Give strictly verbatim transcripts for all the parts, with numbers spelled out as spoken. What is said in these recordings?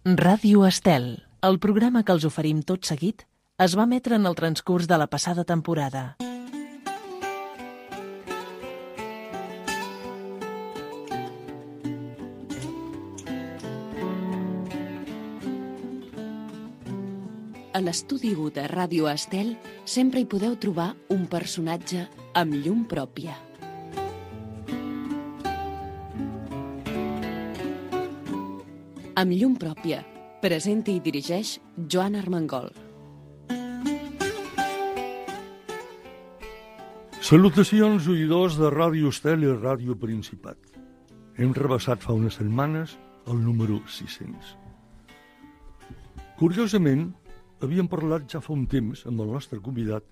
Ràdio Estel, el programa que els oferim tot seguit, es va emetre en el transcurs de la passada temporada. A l'estudi u de Ràdio Estel sempre hi podeu trobar un personatge amb llum pròpia. Amb llum pròpia, presenta i dirigeix Joan Armengol. Salutacions, oïdors de Ràdio Estel i Ràdio Principat. Hem rebassat fa unes setmanes el número sis-cents. Curiosament, havíem parlat ja fa un temps amb el nostre convidat.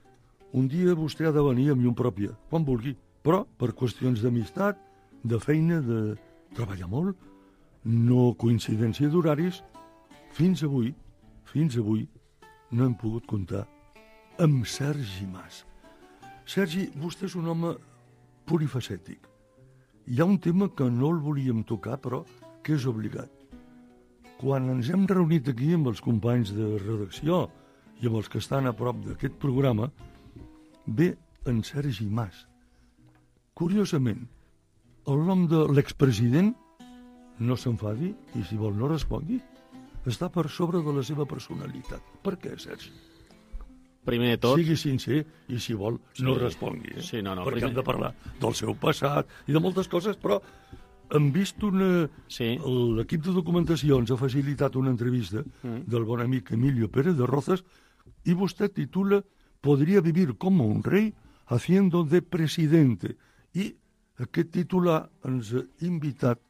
Un dia vostè ha de venir amb llum pròpia, quan vulgui, però per qüestions d'amistat, de feina, de treballar molt, no coincidència d'horaris, fins avui, fins avui, no hem pogut comptar amb Sergi Mas. Sergi, vostè és un home polifacètic. Hi ha un tema que no el volíem tocar, però que és obligat. Quan ens hem reunit aquí amb els companys de redacció i amb els que estan a prop d'aquest programa, ve en Sergi Mas. Curiosament, el nom de l'expresident, no s'enfadi i si vol no respongui, està per sobre de la seva personalitat. Per què, Sergi? Primer de tot... Sigui sincer i, si vol, sí, no respongui. Eh? Sí, no, no, perquè primer... hem de parlar del seu passat i de moltes coses, però hem vist una... Sí. L'equip de documentació ens ha facilitat una entrevista mm. del bon amic Emilio Pérez de Rozas i vostè titula «Podria vivir como un rei haciendo de presidente». I aquest titular ens ha invitat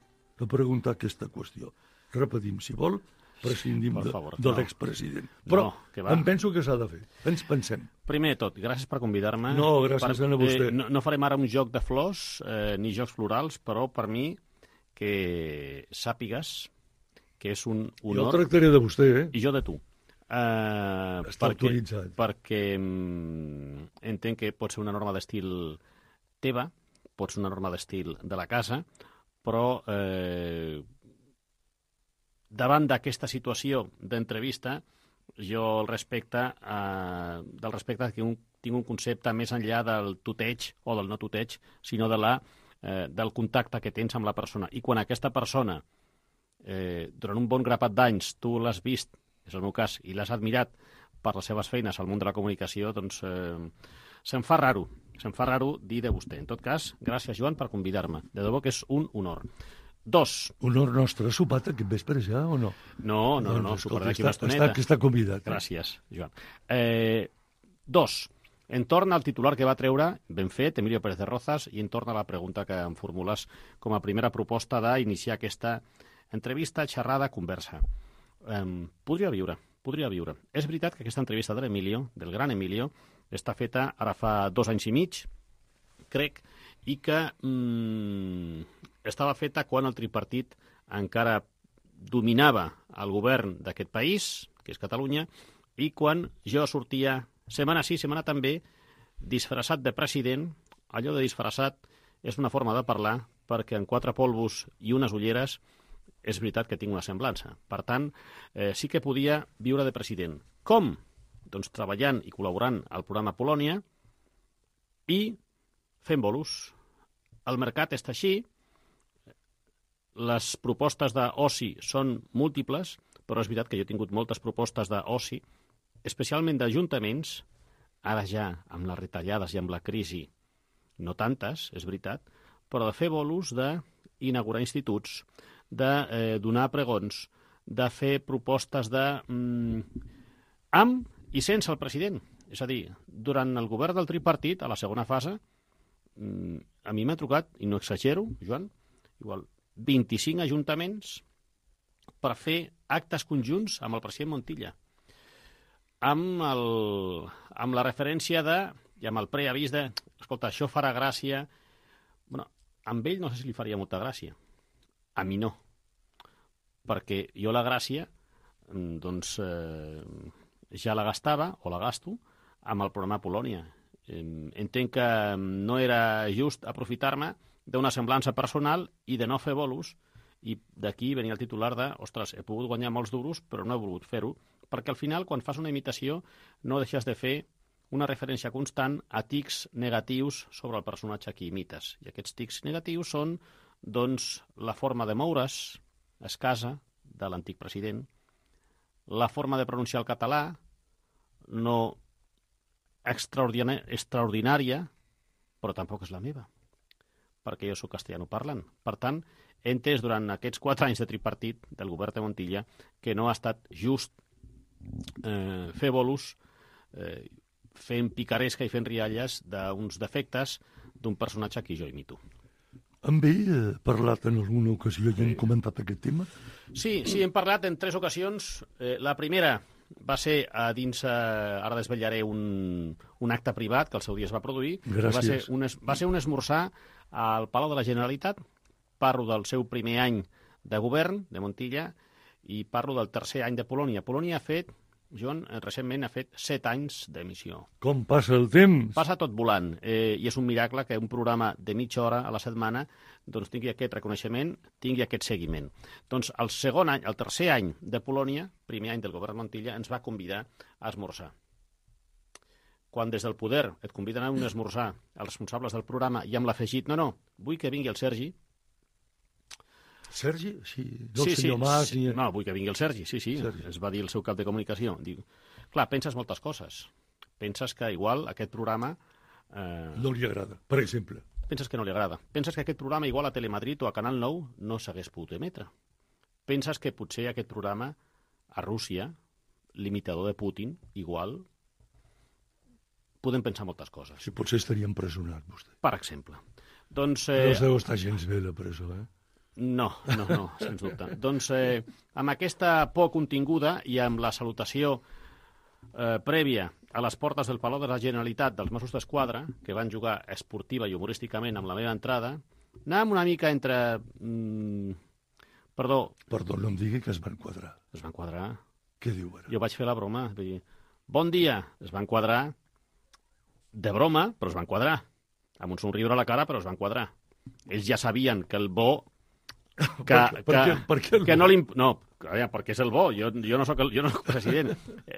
a preguntar aquesta qüestió. Repetim, si vol, prescindim de, favor, de no. l'expresident. Però no, que va. em penso que s'ha de fer. Ens pensem. Primer de tot, gràcies per convidar-me. No, gràcies per, a vostè. Eh, no, no farem ara un joc de flors, eh, ni jocs florals, però per mi que sàpigues que és un honor... Jo el tractaré de vostè, eh? I jo de tu. Uh, Està perquè, autoritzat. Perquè mm, entenc que pot ser una norma d'estil teva, pot ser una norma d'estil de la casa, però eh, davant d'aquesta situació d'entrevista, jo el respecte, eh, del respecte que un, tinc un concepte més enllà del tuteig o del no tuteig, sinó de la, eh, del contacte que tens amb la persona. I quan aquesta persona, eh, durant un bon grapat d'anys, tu l'has vist, és el meu cas, i l'has admirat per les seves feines al món de la comunicació, doncs eh, se'm fa raro, se'm fa raro dir de vostè. En tot cas, gràcies, Joan, per convidar-me. De debò que és un honor. Dos. Honor nostre. Ha sopat aquest vespre ja o no? No, no, no, doncs, soparé d'aquí està, una estoneta. Està, està convidat. Eh? Gràcies, Joan. Eh, dos. Entorn al titular que va treure, ben fet, Emilio Pérez de Rozas, i entorn a la pregunta que em formules com a primera proposta d'iniciar aquesta entrevista, xerrada, conversa. Eh, podria viure, podria viure. És veritat que aquesta entrevista de l'Emilio, del gran Emilio, està feta ara fa dos anys i mig, crec, i que mm, estava feta quan el tripartit encara dominava el govern d'aquest país, que és Catalunya, i quan jo sortia, setmana sí, setmana també, disfressat de president. Allò de disfressat és una forma de parlar, perquè en quatre polvos i unes ulleres és veritat que tinc una semblança. Per tant, eh, sí que podia viure de president. Com? Doncs treballant i col·laborant al programa Polònia i fent bolos. El mercat està així, les propostes d'oci són múltiples, però és veritat que jo he tingut moltes propostes d'oci, especialment d'ajuntaments, ara ja amb les retallades i amb la crisi, no tantes, és veritat, però de fer bolos, d'inaugurar instituts, de eh, donar pregons, de fer propostes de... Mm, amb i sense el president. És a dir, durant el govern del tripartit, a la segona fase, a mi m'ha trucat, i no exagero, Joan, igual vint-i-cinc ajuntaments per fer actes conjunts amb el president Montilla. Amb, el, amb la referència de, i amb el preavís de, escolta, això farà gràcia. Bueno, amb ell no sé si li faria molta gràcia. A mi no. Perquè jo la gràcia, doncs... Eh, ja la gastava, o la gasto, amb el programa Polònia. Entenc que no era just aprofitar-me d'una semblança personal i de no fer bolos I d'aquí venia el titular de, ostres, he pogut guanyar molts duros, però no he volgut fer-ho, perquè al final, quan fas una imitació, no deixes de fer una referència constant a tics negatius sobre el personatge que imites. I aquests tics negatius són, doncs, la forma de moure's escasa de l'antic president, la forma de pronunciar el català, no extraordinària, extraordinària, però tampoc és la meva, perquè jo soc castellano parlant. Per tant, he entès durant aquests quatre anys de tripartit del govern de Montilla que no ha estat just eh, fer bolos eh, fent picaresca i fent rialles d'uns defectes d'un personatge que jo imito. Amb ell he parlat en alguna ocasió i hem comentat aquest tema? Sí, sí, hem parlat en tres ocasions. Eh, la primera va ser a dins, eh, ara desvetllaré un, un acte privat que al seu dia es va produir. Gràcies. Va ser un, es, va ser un esmorzar al Palau de la Generalitat. Parlo del seu primer any de govern, de Montilla, i parlo del tercer any de Polònia. Polònia ha fet, Joan, recentment ha fet set anys d'emissió. Com passa el temps? Passa tot volant, eh, i és un miracle que un programa de mitja hora a la setmana doncs, tingui aquest reconeixement, tingui aquest seguiment. Doncs el segon any, el tercer any de Polònia, primer any del govern Montilla, ens va convidar a esmorzar. Quan des del poder et conviden a un esmorzar els responsables del programa i amb l'afegit, no, no, vull que vingui el Sergi. Sergi? Sí, no el sí, senyor sí, Mas... sí. Ni... No, vull que vingui el Sergi, sí, sí, Sergi. es va dir el seu cap de comunicació. Diu, clar, penses moltes coses. Penses que igual aquest programa... Eh... No li agrada, per exemple. Penses que no li agrada. Penses que aquest programa igual a Telemadrid o a Canal nou no s'hagués pogut emetre. Penses que potser aquest programa a Rússia, l'imitador de Putin, igual... Podem pensar moltes coses. Si potser estaria empresonat, vostè. Per exemple. Doncs, eh... No deu estar gens bé la presó, eh? No, no, no, sens dubte. Doncs eh, amb aquesta por continguda i amb la salutació eh, prèvia a les portes del Palau de la Generalitat dels Mossos d'Esquadra, que van jugar esportiva i humorísticament amb la meva entrada, anàvem una mica entre... Mm, perdó. Perdó, no em digui que es van quadrar. Es van quadrar. Què diu ara? Jo vaig fer la broma. Vull dir, bon dia. Es van quadrar de broma, però es van quadrar. Amb un somriure a la cara, però es van quadrar. Ells ja sabien que el bo... Que, per, per, que, què, per què el que bo? no, no, perquè és el bo. Jo, jo no soc el, jo no soc president.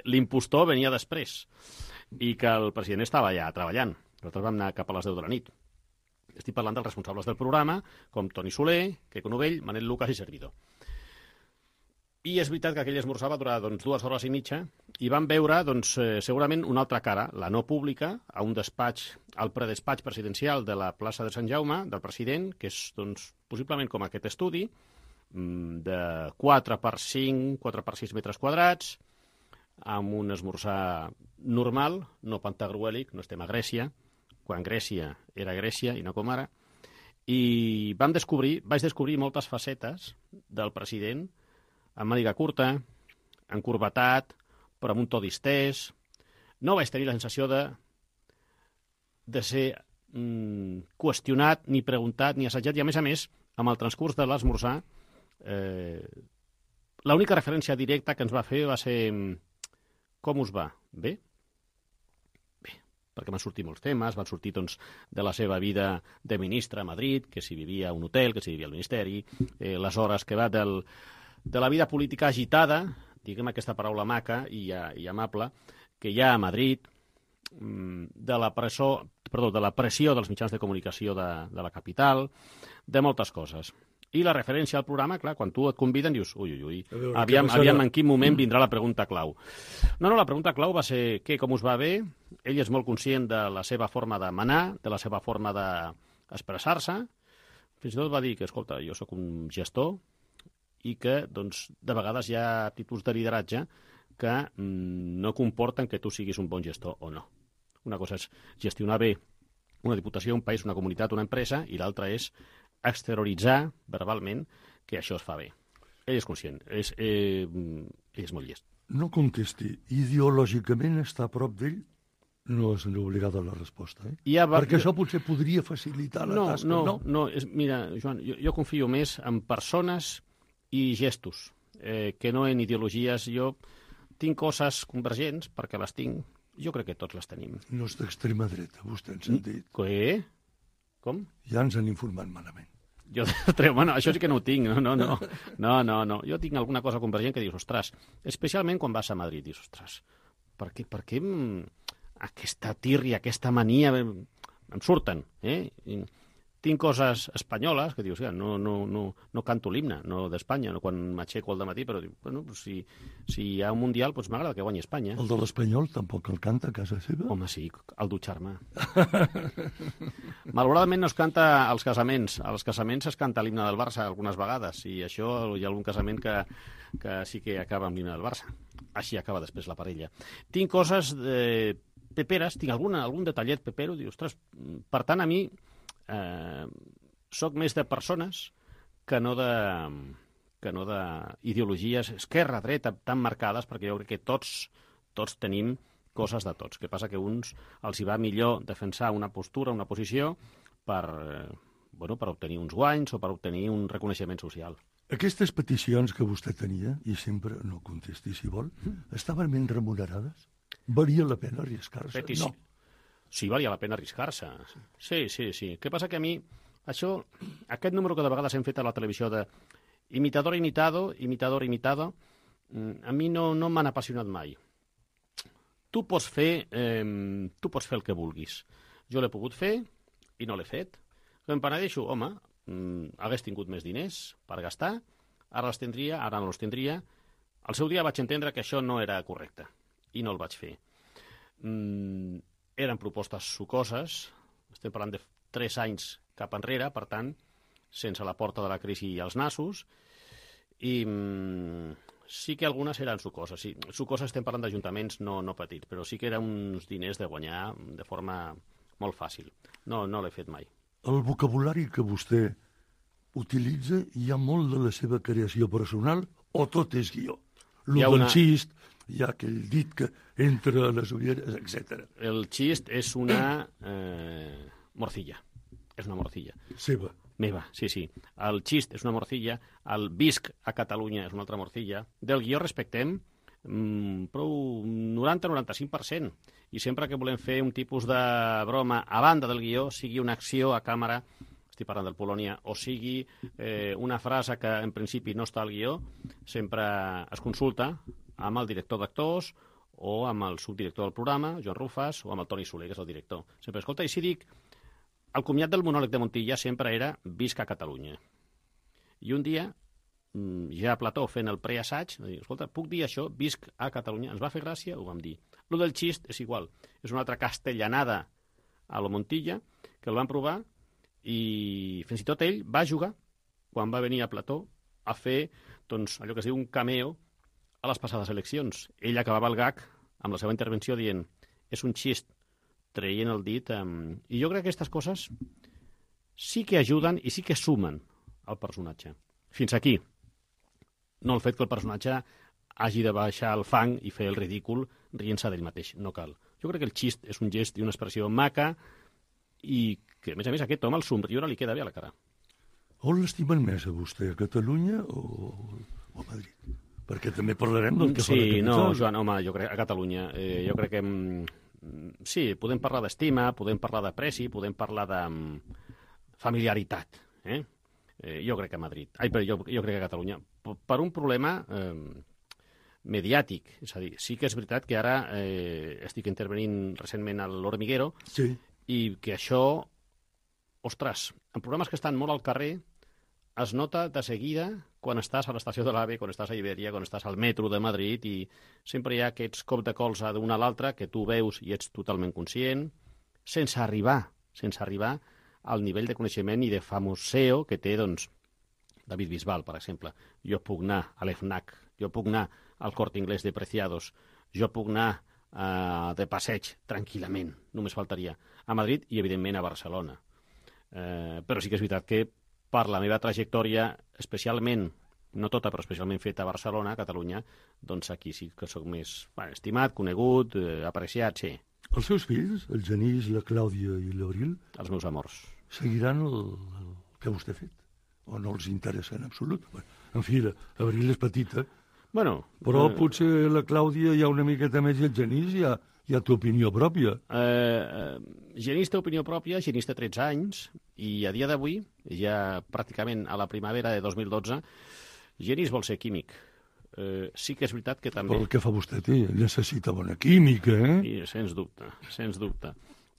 L'impostor venia després i que el president estava allà treballant. Nosaltres vam anar cap a les deu de la nit. Estic parlant dels responsables del programa, com Toni Soler, Queco Novell, Manel Lucas i servidor. I és veritat que aquell esmorzar va durar doncs, dues hores i mitja i vam veure doncs, eh, segurament una altra cara, la no pública, a un despatx, al predespatx presidencial de la plaça de Sant Jaume, del president, que és doncs, possiblement com aquest estudi, de quatre per cinc, quatre per sis metres quadrats, amb un esmorzar normal, no pantagruèlic, no estem a Grècia, quan Grècia era Grècia i no com ara, i vam descobrir, vaig descobrir moltes facetes del president, amb màniga curta, encurvatat, però amb un to distès. No vaig tenir la sensació de, de ser mm, qüestionat, ni preguntat, ni assajat, i a més a més, amb el transcurs de l'esmorzar, eh, l'única referència directa que ens va fer va ser com us va? Bé? Bé, perquè van sortir molts temes, van sortir doncs, de la seva vida de ministre a Madrid, que si vivia a un hotel, que si vivia al Ministeri, eh, les hores que va del... de la vida política agitada, diguem aquesta paraula maca i, i amable, que hi ha a Madrid, de la, presó, perdó, de la pressió dels mitjans de comunicació de, de la capital, de moltes coses. I la referència al programa, clar, quan tu et conviden dius, ui, ui, ui, veure, aviam, aviam en quin moment vindrà la pregunta clau. No, no, la pregunta clau va ser què, com us va bé? Ell és molt conscient de la seva forma de manar, de la seva forma d'expressar-se. Fins i tot va dir que, escolta, jo sóc un gestor, i que, doncs, de vegades hi ha actituds de lideratge que mm, no comporten que tu siguis un bon gestor o no. Una cosa és gestionar bé una diputació, un país, una comunitat, una empresa, i l'altra és exterioritzar verbalment que això es fa bé. Ell és conscient, és, eh, ell és molt llest. No contesti. Ideològicament està a prop d'ell? No és obligada la resposta, eh? Ja va... Perquè això potser podria facilitar la no, tasca. No, no, no. És, mira, Joan, jo, jo confio més en persones i gestos, eh, que no en ideologies. Jo tinc coses convergents, perquè les tinc. Jo crec que tots les tenim. No és d'extrema dreta, vostè ens han dit. Què? Com? Ja ens han informat malament. Jo treu, bueno, això sí que no ho tinc, no, no, no, no, no, no. Jo tinc alguna cosa convergent que dius, ostres, especialment quan vas a Madrid, dius, ostres, per què, per què aquesta tírria, aquesta mania, em surten, eh? I tinc coses espanyoles que dius, ja, no, no, no, no canto l'himne, no d'Espanya, no quan m'aixeco al dematí, però dic, bueno, si, si hi ha un mundial, doncs m'agrada que guanyi Espanya. El de l'Espanyol tampoc el canta a casa seva? Home, sí, el dutxar-me. Malauradament no es canta als casaments. Als casaments es canta l'himne del Barça algunes vegades, i això hi ha algun casament que, que sí que acaba amb l'himne del Barça. Així acaba després la parella. Tinc coses eh, peperes, tinc alguna, algun detallet pepero, dius, ostres, per tant, a mi eh, soc més de persones que no de que no d'ideologies esquerra-dreta tan marcades, perquè jo crec que tots, tots tenim coses de tots. Que passa que uns els hi va millor defensar una postura, una posició, per, eh, bueno, per obtenir uns guanys o per obtenir un reconeixement social. Aquestes peticions que vostè tenia, i sempre no contesti si vol, estaven ben remunerades? Valia la pena arriscar-se? Petici... No. Sí, valia la pena arriscar-se. Sí, sí, sí. Què passa que a mi, això, aquest número que de vegades hem fet a la televisió de imitador imitado, imitador imitado, a mi no, no m'han apassionat mai. Tu pots fer, eh, tu pots fer el que vulguis. Jo l'he pogut fer i no l'he fet. Em penedeixo, home, mm, hagués tingut més diners per gastar, ara els tindria, ara no els tindria. Al seu dia vaig entendre que això no era correcte i no el vaig fer. Mm, eren propostes sucoses, estem parlant de tres anys cap enrere, per tant, sense la porta de la crisi als nassos, i mm, sí que algunes eren sucoses. Sí, sucoses estem parlant d'ajuntaments no, no petits, però sí que eren uns diners de guanyar de forma molt fàcil. No, no l'he fet mai. El vocabulari que vostè utilitza, hi ha molt de la seva creació personal o tot és guió? Lo del una... xist, hi ha aquell dit que entra a les ulleres, etcètera. El xist és una eh, morcilla. És una morcilla. Seva. Meva, sí, sí. El xist és una morcilla, el visc a Catalunya és una altra morcilla. Del guió respectem mmm, prou noranta a noranta-cinc per cent. I sempre que volem fer un tipus de broma a banda del guió, sigui una acció a càmera, estic parlant del Polònia, o sigui eh, una frase que en principi no està al guió, sempre es consulta amb el director d'actors o amb el subdirector del programa, Joan Rufas, o amb el Toni Soler, que és el director. Sempre escolta, i si dic, el comiat del monòleg de Montilla sempre era visc a Catalunya. I un dia, ja a Plató fent el preassaig, va dir, escolta, puc dir això, visc a Catalunya? Ens va fer gràcia, ho vam dir. Lo del xist és igual, és una altra castellanada a lo Montilla, que el van provar, i fins i tot ell va jugar, quan va venir a Plató, a fer, doncs, allò que es diu un cameo a les passades eleccions. Ell acabava el gag amb la seva intervenció dient, és un xist, traient el dit. Um, I jo crec que aquestes coses sí que ajuden i sí que sumen al personatge. Fins aquí. No el fet que el personatge hagi de baixar el fang i fer el ridícul rient-se d'ell mateix. No cal. Jo crec que el xist és un gest i una expressió maca i que, a més a més, a aquest home el somriure li queda bé a la cara. On l'estimen més a vostè, a Catalunya o, o a Madrid? Perquè també parlarem del que sí, fa la capital. No, Joan, home, jo crec a Catalunya. Eh, jo crec que... Sí, podem parlar d'estima, podem parlar d'apreci, podem parlar de familiaritat. Eh? Eh, jo crec que a Madrid. Ai, però jo, jo crec que a Catalunya. Per un problema eh, mediàtic. És a dir, sí que és veritat que ara eh, estic intervenint recentment a l'Hormiguero, sí, i que això, ostres, en programes que estan molt al carrer, es nota de seguida quan estàs a l'estació de l'AVE, quan estàs a Iberia, quan estàs al metro de Madrid, i sempre hi ha aquests cops de colze d'una a l'altra que tu veus i ets totalment conscient, sense arribar, sense arribar al nivell de coneixement i de famoseo que té, doncs, David Bisbal, per exemple. Jo puc anar a l'EFNAC, jo puc anar al Corte Inglés de Preciados, jo puc anar uh, de passeig tranquil·lament, només faltaria, a Madrid i, evidentment, a Barcelona. Uh, però sí que és veritat que per la meva trajectòria, especialment, no tota, però especialment feta a Barcelona, a Catalunya, doncs aquí sí que sóc més bueno, estimat, conegut, eh, apreciat, sí. Els seus fills, el Genís, la Clàudia i l'Abril... Els meus amors. Seguiran el, el que vostè ha fet? O no els interessa en absolut? En fi, l'Abril és petita, bueno, però eh... potser la Clàudia hi ha una miqueta més i el Genís ja ja té opinió pròpia. Eh, eh, Genís té opinió pròpia, Genís té tretze anys, i a dia d'avui, ja pràcticament a la primavera de dos mil dotze, Genís vol ser químic. Eh, sí que és veritat que també... Però el que fa vostè, té, necessita bona química, eh? I, sens dubte, sens dubte.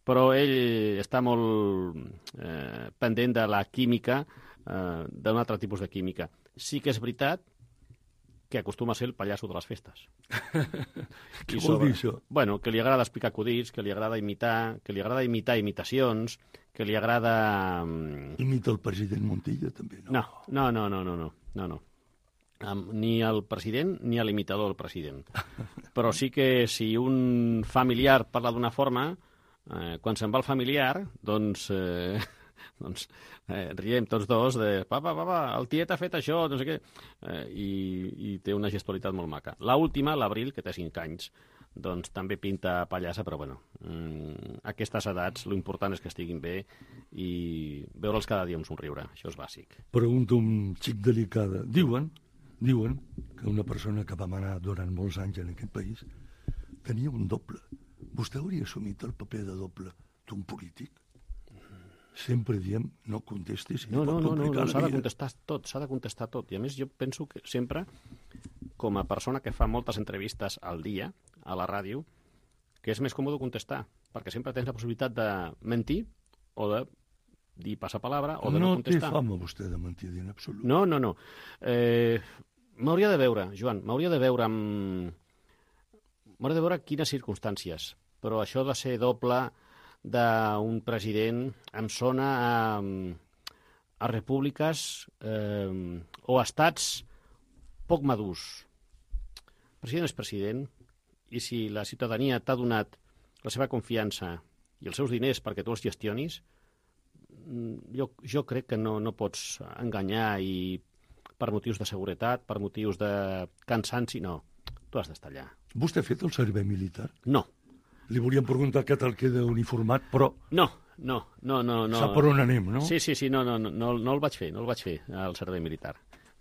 Però ell està molt eh, pendent de la química, eh, d'un altre tipus de química. Sí que és veritat que acostuma a ser el pallasso de les festes. Què vol dir això? Bueno, que li agrada explicar acudits, que li agrada imitar, que li agrada imitar imitacions, que li agrada... Imita el president Montilla, també, no? No, no, no, no, no, no, no. Um, ni el president ni l'imitador del president. Però sí que si un familiar parla d'una forma, eh, quan se'n va el familiar, doncs... Eh, doncs eh, riem tots dos de papa, papa, el tiet ha fet això, no sé què, eh, i, i té una gestualitat molt maca. L'última, l'Abril, que té cinc anys, doncs també pinta pallassa, però bueno, mm, a aquestes edats l'important és que estiguin bé i veure'ls cada dia amb somriure, això és bàsic. Pregunto un xic delicada. Diuen, diuen que una persona que va manar durant molts anys en aquest país tenia un doble. Vostè hauria assumit el paper de doble d'un polític? Sempre diem, no contestis. No, no, no, no, no s'ha de contestar tot, s'ha de contestar tot. I a més jo penso que sempre, com a persona que fa moltes entrevistes al dia, a la ràdio, que és més còmode contestar, perquè sempre tens la possibilitat de mentir o de dir passapalabra o de no, no contestar. No té fama vostè de mentir en absolut. No, no, no. Eh, m'hauria de veure, Joan, m'hauria de veure amb... M'hauria de veure quines circumstàncies, però això de ser doble d'un president em sona a, a repúbliques eh, o a estats poc madurs. El president és president i si la ciutadania t'ha donat la seva confiança i els seus diners perquè tu els gestionis, jo, jo crec que no, no pots enganyar i per motius de seguretat, per motius de cansanci, no. Tu has d'estar allà. Vostè ha fet el servei militar? No. Li volíem preguntar què tal queda uniformat, però... No, no, no, no. no. Sap per on anem, no? Sí, sí, sí, no, no, no, no, no el vaig fer, no el vaig fer, al servei militar.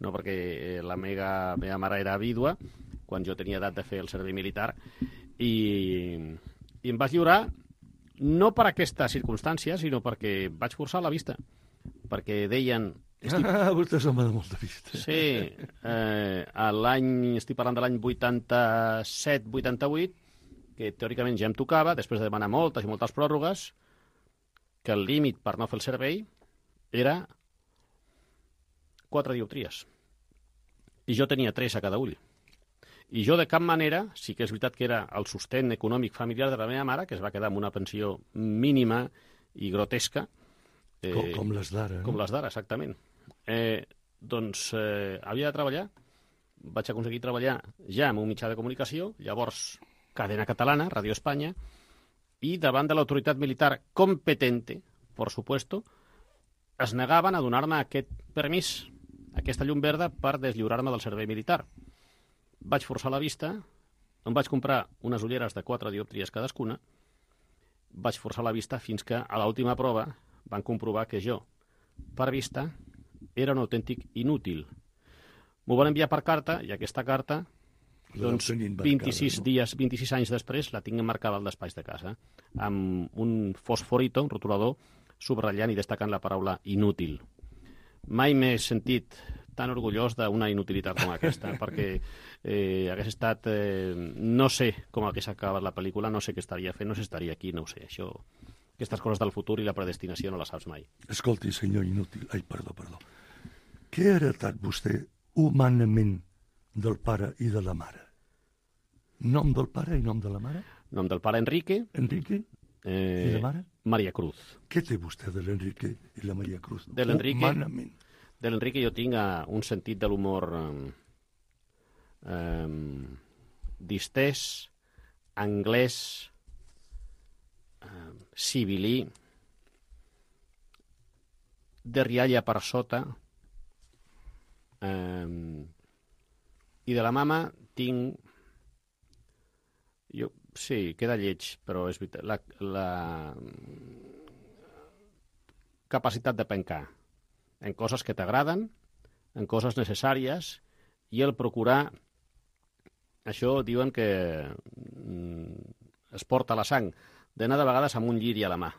No, perquè la meva, meva mare era vídua, quan jo tenia edat de fer el servei militar, i, i em vaig lliurar no per aquesta circumstància, sinó perquè vaig forçar la vista. Perquè deien... Estic... Ah, vostè se'n va de molta vista. Sí, eh, l'any, estic parlant de l'any vuitanta-set vuitanta-vuit, que teòricament ja em tocava, després de demanar moltes i moltes pròrrogues, que el límit per no fer el servei era quatre dioptries. I jo tenia tres a cada ull. I jo de cap manera, sí que és veritat que era el sostén econòmic familiar de la meva mare, que es va quedar amb una pensió mínima i grotesca. Eh, com, com les d'ara. Com les d'ara, exactament. Eh, doncs eh, havia de treballar. Vaig aconseguir treballar ja en un mitjà de comunicació, llavors Cadena Catalana, Radio Espanya, i davant de l'autoritat militar competente, por supuesto, es negaven a donar-me aquest permís, aquesta llum verda per deslliurar-me del servei militar. Vaig forçar la vista, em vaig comprar unes ulleres de quatre diòptries cadascuna, vaig forçar la vista fins que a l'última prova van comprovar que jo, per vista, era un autèntic inútil. M'ho van enviar per carta, i aquesta carta... Doncs vint-i-sis dies, vint-i-sis anys després la tinc emmarcada al despatx de casa amb un fosforito, un rotulador, subratllant i destacant la paraula inútil. Mai m'he sentit tan orgullós d'una inutilitat com aquesta, perquè eh, hagués estat... Eh, no sé com hagués acabat la pel·lícula, no sé què estaria fent, no sé si estaria aquí, no ho sé. Això, aquestes coses del futur i la predestinació no les saps mai. Escolti, senyor inútil... Ai, perdó, perdó. Què ha heretat vostè humanament del pare i de la mare? Nom del pare i nom de la mare? Nom del pare, Enrique. Enrique? Eh, I la mare? Maria Cruz. Què té vostè de l'Enrique i la Maria Cruz? De l'Enrique, humanament. De l'Enrique jo tinc uh, un sentit de l'humor um, um, distès, anglès, uh, civilí, de rialla per sota, um, i de la mama tinc... Jo, sí, queda lleig, però és veritat. La, la capacitat de pencar en coses que t'agraden, en coses necessàries, i el procurar... Això diuen que mm, es porta la sang, d'anar de vegades amb un lliri a la mà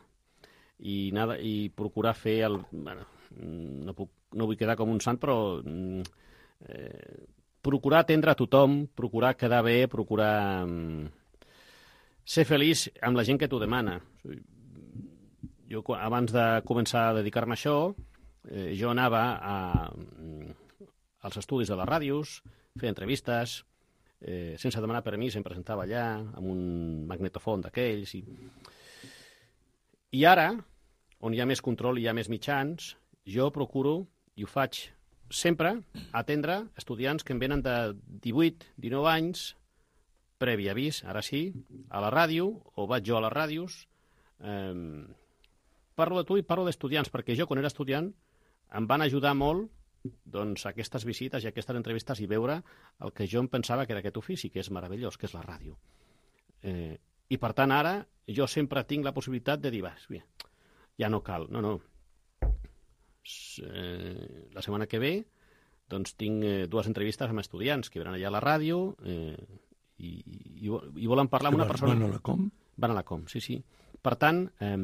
i, anar, i procurar fer el... Bueno, no, puc, no vull quedar com un sant, però eh, procurar atendre a tothom, procurar quedar bé, procurar eh, ser feliç amb la gent que t'ho demana. Jo, abans de començar a dedicar-me a això, eh, jo anava a, als estudis de les ràdios, feia entrevistes, eh, sense demanar permís, em presentava allà, amb un magnetofon d'aquells. I... I ara, on hi ha més control i hi ha més mitjans, jo procuro, i ho faig sempre, atendre estudiants que em venen de divuit, dinou anys, previ avís, ara sí, a la ràdio, o vaig jo a les ràdios. Eh, parlo de tu i parlo d'estudiants, perquè jo, quan era estudiant, em van ajudar molt doncs, aquestes visites i aquestes entrevistes i veure el que jo em pensava que era aquest ofici, que és meravellós, que és la ràdio. Eh, I, per tant, ara jo sempre tinc la possibilitat de dir, va, ja no cal, no, no. Eh, la setmana que ve doncs tinc eh, dues entrevistes amb estudiants que venen allà a la ràdio eh, i, i, i volen parlar amb una persona... Van a la Com? Van a la Com, sí, sí. Per tant, eh,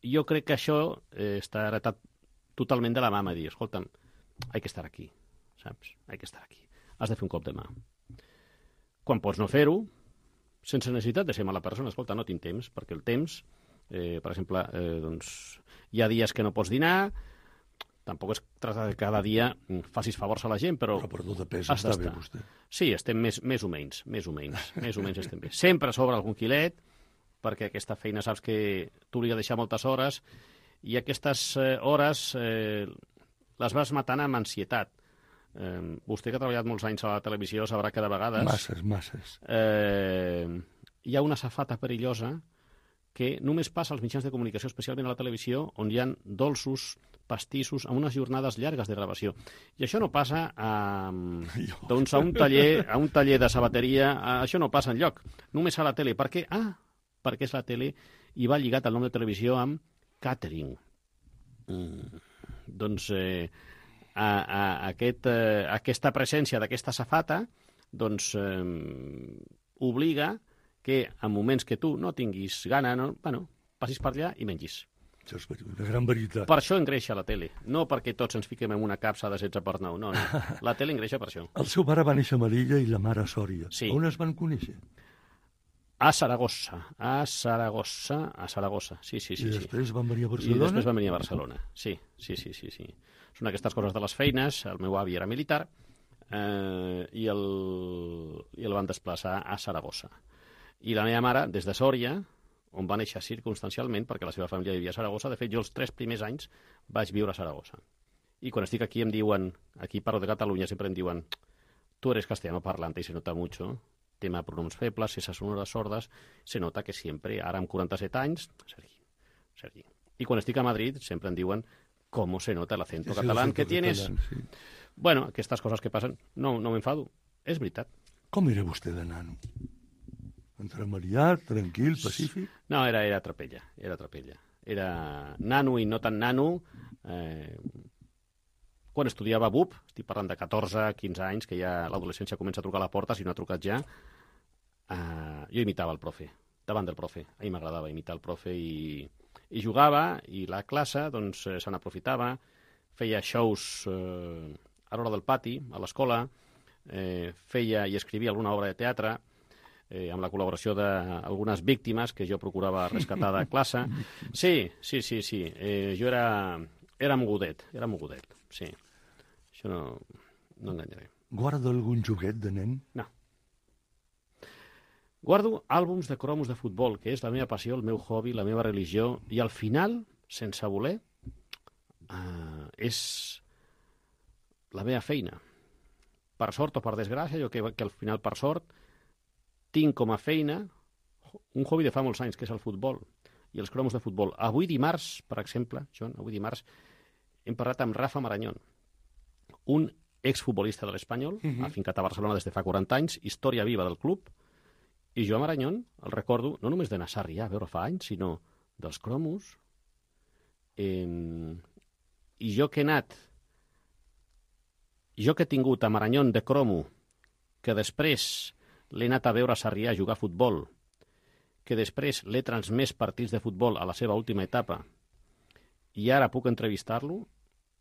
jo crec que això eh, està heretat totalment de la mà, dir, escolta'm, hay que estar aquí, saps? Hay que estar aquí. Has de fer un cop de mà. Quan pots no fer-ho, sense necessitat de ser mala persona, escolta, no tinc temps, perquè el temps, eh, per exemple, eh, doncs, hi ha dies que no pots dinar, tampoc es tracta de cada dia facis favors a la gent, però... Però per tot de pes està bé, vostè. Sí, estem més, més o menys, més o menys, més o menys estem bé. Sempre sobre algun quilet, perquè aquesta feina saps que t'obliga a deixar moltes hores, i aquestes eh, hores eh, les vas matant amb ansietat. Eh, vostè que ha treballat molts anys a la televisió sabrà que de vegades... Masses, masses. Eh, hi ha una safata perillosa que només passa als mitjans de comunicació, especialment a la televisió, on hi ha dolços, pastissos, amb unes jornades llargues de gravació. I això no passa a, doncs a, un taller, a un taller de sabateria, a, això no passa enlloc, només a la tele. Per què? Ah, perquè és la tele i va lligat el nom de televisió amb catering. Mm, doncs eh, a, a, aquest, eh, aquesta presència d'aquesta safata doncs, eh, obliga que en moments que tu no tinguis gana, no, bueno, passis per allà i mengis. Això és una gran veritat. Per això engreixa la tele, no perquè tots ens fiquem en una capsa de setze per nou, no, no. La tele engreixa per això. El seu pare va néixer a Melilla i la mare a Sòria. Sí. On es van conèixer? A Saragossa, a Saragossa, a Saragossa, sí, sí, sí. I després sí. van venir a Barcelona? I després van venir a Barcelona, sí, sí, sí, sí, sí. Són aquestes coses de les feines, el meu avi era militar eh, i, el, i el van desplaçar a Saragossa. I la meva mare, des de Sòria, on va néixer circumstancialment, perquè la seva família vivia a Saragossa, de fet, jo els tres primers anys vaig viure a Saragossa. I quan estic aquí em diuen, aquí parlo de Catalunya, sempre em diuen, tu eres castellano parlante y se nota mucho, tema de pronoms febles, esas sonoras sordas, se nota que sempre, ara amb quaranta-set anys, Sergi, Sergi. I quan estic a Madrid sempre em diuen com se nota el acento català que tienes. Catalán, sí. Bueno, aquestes coses que passen, no, no m'enfado, és veritat. Com era vostè de nano? Entremaliat, tranquil, pacífic? No, era, era trapella, era trapella. Era nano i no tan nano. Eh, quan estudiava B U P, estic parlant de catorze, quinze anys, que ja l'adolescència comença a trucar a la porta, si no ha trucat ja, eh, jo imitava el profe, davant del profe. A mi m'agradava imitar el profe i, i jugava, i la classe doncs, se n'aprofitava, feia shows eh, a l'hora del pati, a l'escola, eh, feia i escrivia alguna obra de teatre, eh, amb la col·laboració d'algunes víctimes que jo procurava rescatar de classe. Sí, sí, sí, sí. Eh, jo era, era mogudet, era mogudet, sí. Això no, no enganyaré. Guarda algun joguet de nen? No. Guardo àlbums de cromos de futbol, que és la meva passió, el meu hobby, la meva religió, i al final, sense voler, eh, és la meva feina. Per sort o per desgràcia, jo que, que al final, per sort, tinc com a feina un hobby de fa molts anys, que és el futbol i els cromos de futbol. Avui dimarts, per exemple, Joan, avui dimarts, hem parlat amb Rafa Marañón, un exfutbolista de l'Espanyol, uh -huh. afincat a Barcelona des de fa quaranta anys, història viva del club, i jo a Marañón el recordo no només d'anar a Sarrià a veure fa anys, sinó dels cromos. Eh, I jo que he anat, jo que he tingut a Marañón de cromo, que després l'he anat a veure a Sarrià a jugar a futbol, que després l'he transmès partits de futbol a la seva última etapa i ara puc entrevistar-lo,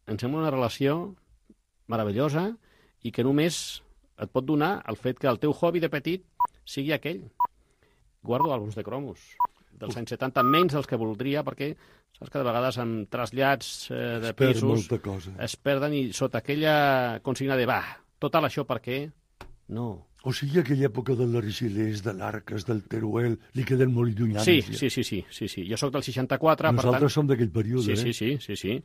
em sembla una relació meravellosa i que només et pot donar el fet que el teu hobby de petit sigui aquell. Guardo àlbums de cromos dels anys setanta, menys dels que voldria, perquè saps que de vegades amb trasllats eh, de es perd pisos molta cosa. es perden i sota aquella consigna de va, total això per què? No. O sigui, aquella època de l'Argelers, de l'Arques, del Teruel, li queda molt llunyana. Sí, sí, sí, sí, sí, sí. Jo sóc del seixanta-quatre, Nosaltres per tant... som d'aquell període, sí, eh? sí, sí, sí, sí.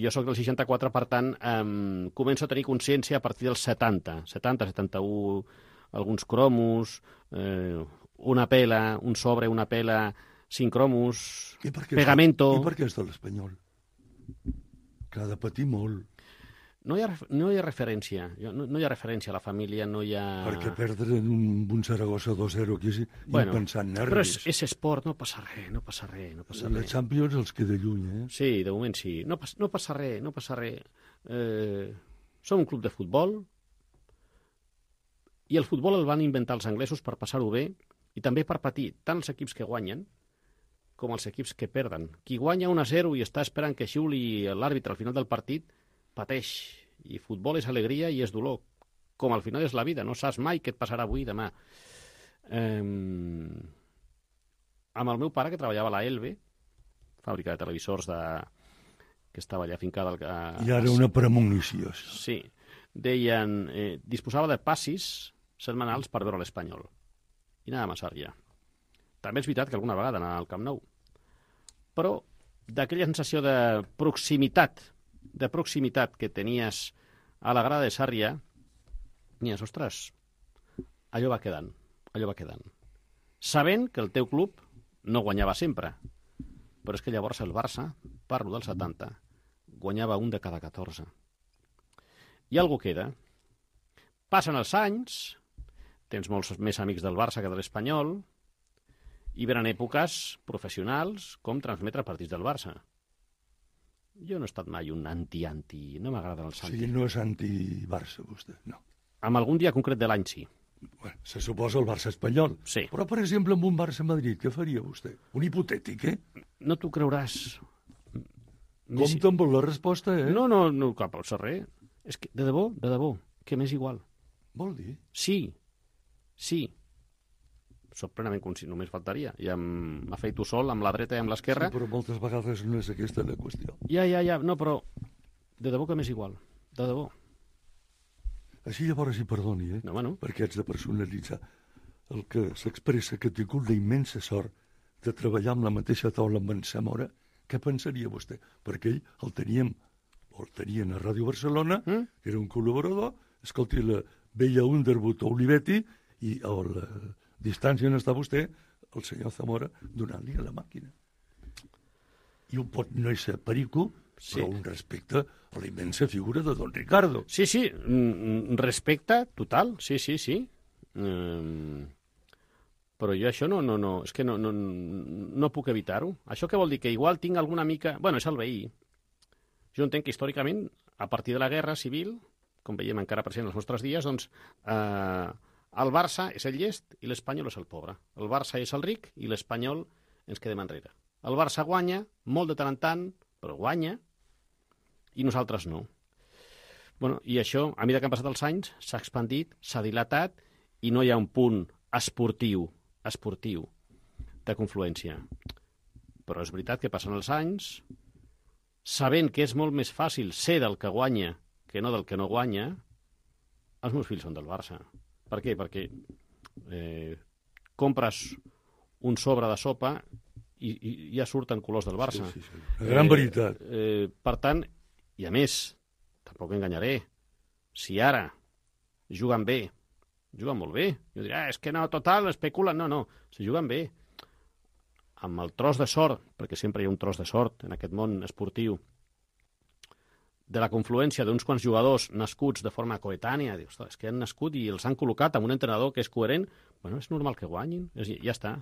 Jo sóc del seixanta-quatre, per tant, eh, començo a tenir consciència a partir dels setanta. setanta, setanta-u, alguns cromos, eh, una pela, un sobre, una pela, cinc cromos, I per què pegamento... I per què és de l'Espanyol? Que ha de patir molt. No hi ha, no hi ha referència, no, no hi ha referència a la família, no hi ha... Perquè perdre un, un Saragossa dos zero aquí és bueno, impensant nervis. però és, és esport, no passa res, no passa res, no passa La res. Champions els queda lluny, eh? Sí, de moment sí. No, pas, no passa res, no passa res. Eh, som un club de futbol i el futbol el van inventar els anglesos per passar-ho bé i també per patir tant els equips que guanyen com els equips que perden. Qui guanya un a zero i està esperant que xiuli l'àrbitre al final del partit, pateix. I futbol és alegria i és dolor. Com al final és la vida. No saps mai què et passarà avui i demà. Eh, amb el meu pare, que treballava a la Elbe, fàbrica de televisors de... que estava allà fincada... Al... A... I ara una premonició. Sí. Deien... Eh, disposava de passis setmanals per veure l'Espanyol. I anàvem a Sarrià. També és veritat que alguna vegada anava al Camp Nou. Però d'aquella sensació de proximitat, de proximitat que tenies a la grada de Sarrià, deies, ostres, allò va quedant, allò va quedant. Sabent que el teu club no guanyava sempre, però és que llavors el Barça, parlo del setanta, guanyava un de cada catorze. I algú queda. Passen els anys, tens molts més amics del Barça que de l'Espanyol, i venen èpoques professionals com transmetre partits del Barça. Jo no he estat mai un anti-anti, no m'agrada el O Santi. sigui, no és anti-Barça, vostè, no. Amb algun dia concret de l'any, sí. Bueno, se suposa el Barça espanyol. Sí. Però, per exemple, amb un Barça-Madrid, què faria vostè? Un hipotètic, eh? No t'ho creuràs. Compte amb la resposta, eh? No, no, no, cap al serrer. És que, de debò, de debò, que m'és igual. Vol dir? Sí, sí. Soc plenament conscient, només faltaria. Ja m'afeito sol, amb la dreta i amb l'esquerra. Sí, però moltes vegades no és aquesta la qüestió. Ja, ja, ja, no, però de debò que m'és igual, de debò. Així llavors hi perdoni, eh? No, bueno. Perquè haig de personalitzar. El que s'expressa que ha tingut la immensa sort de treballar amb la mateixa taula amb en Zamora, què pensaria vostè? Perquè ell el teníem, o el tenien a Ràdio Barcelona, Mm? era un col·laborador, escolti, la veia Underwood o Olivetti, i a la distància on està vostè, el senyor Zamora, donant-li a la màquina. I un pot no ser perico, Sí. però un respecte a la immensa figura de don Ricardo. Sí, sí, mm, respecte total, sí, sí, sí. Mm, però jo això no, no, no, és que no, no, no puc evitar-ho. Això què vol dir? Que igual tinc alguna mica... Bueno, és el veí. Jo entenc que històricament, a partir de la guerra civil, com veiem encara present els nostres dies, doncs eh, el Barça és el llest i l'Espanyol és el pobre. El Barça és el ric i l'Espanyol ens quedem enrere. El Barça guanya, molt de tant en tant, però guanya, i nosaltres no. Bueno, i això, a mesura que han passat els anys, s'ha expandit, s'ha dilatat, i no hi ha un punt esportiu, esportiu, de confluència. Però és veritat que passen els anys, sabent que és molt més fàcil ser del que guanya que no del que no guanya, els meus fills són del Barça. Per què? Perquè eh, compres un sobre de sopa i, i ja surten colors del Barça. Sí, sí, sí. La gran eh, veritat. Eh, per tant, i a més, tampoc enganyaré, si ara juguen bé, juguen molt bé, jo diré, ah, és que no, total, especulen, no, no, si juguen bé, amb el tros de sort, perquè sempre hi ha un tros de sort en aquest món esportiu, de la confluència d'uns quants jugadors nascuts de forma coetània, dius, és que han nascut i els han col·locat amb un entrenador que és coherent, bueno, és normal que guanyin, és, ja està.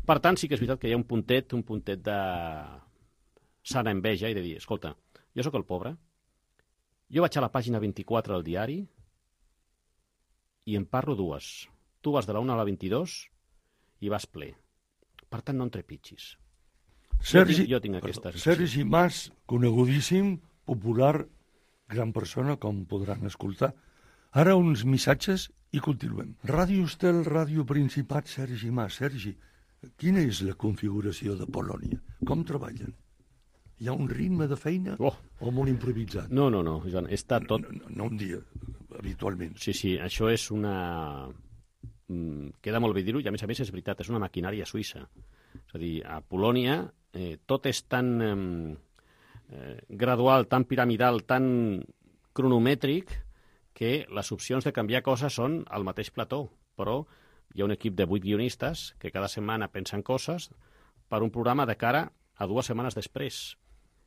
Per tant, sí que és veritat que hi ha un puntet, un puntet de sana enveja i de dir, escolta, jo sóc el pobre, jo vaig a la pàgina vint-i-quatre del diari i en parlo dues. Tu vas de la una a la vint-i-dos i vas ple. Per tant, no en trepitgis. Sergi, jo tinc, jo tinc aquesta sensació. Sergi Mas, conegudíssim, popular, gran persona, com podran escoltar. Ara uns missatges i continuem. Ràdio Estel, Ràdio Principat, Sergi Mas. Sergi, quina és la configuració de Polònia? Com treballen? Hi ha un ritme de feina Oh. o molt improvisat? No, no, no, Joan, està tot... No, no, no un dia, habitualment. Sí, sí, això és una... Mm, queda molt bé dir-ho, i a més a més és veritat, és una maquinària suïssa. És a dir, a Polònia eh, tot és tan eh, eh, gradual, tan piramidal, tan cronomètric, que les opcions de canviar coses són al mateix plató, però hi ha un equip de vuit guionistes que cada setmana pensen coses per un programa de cara a dues setmanes després.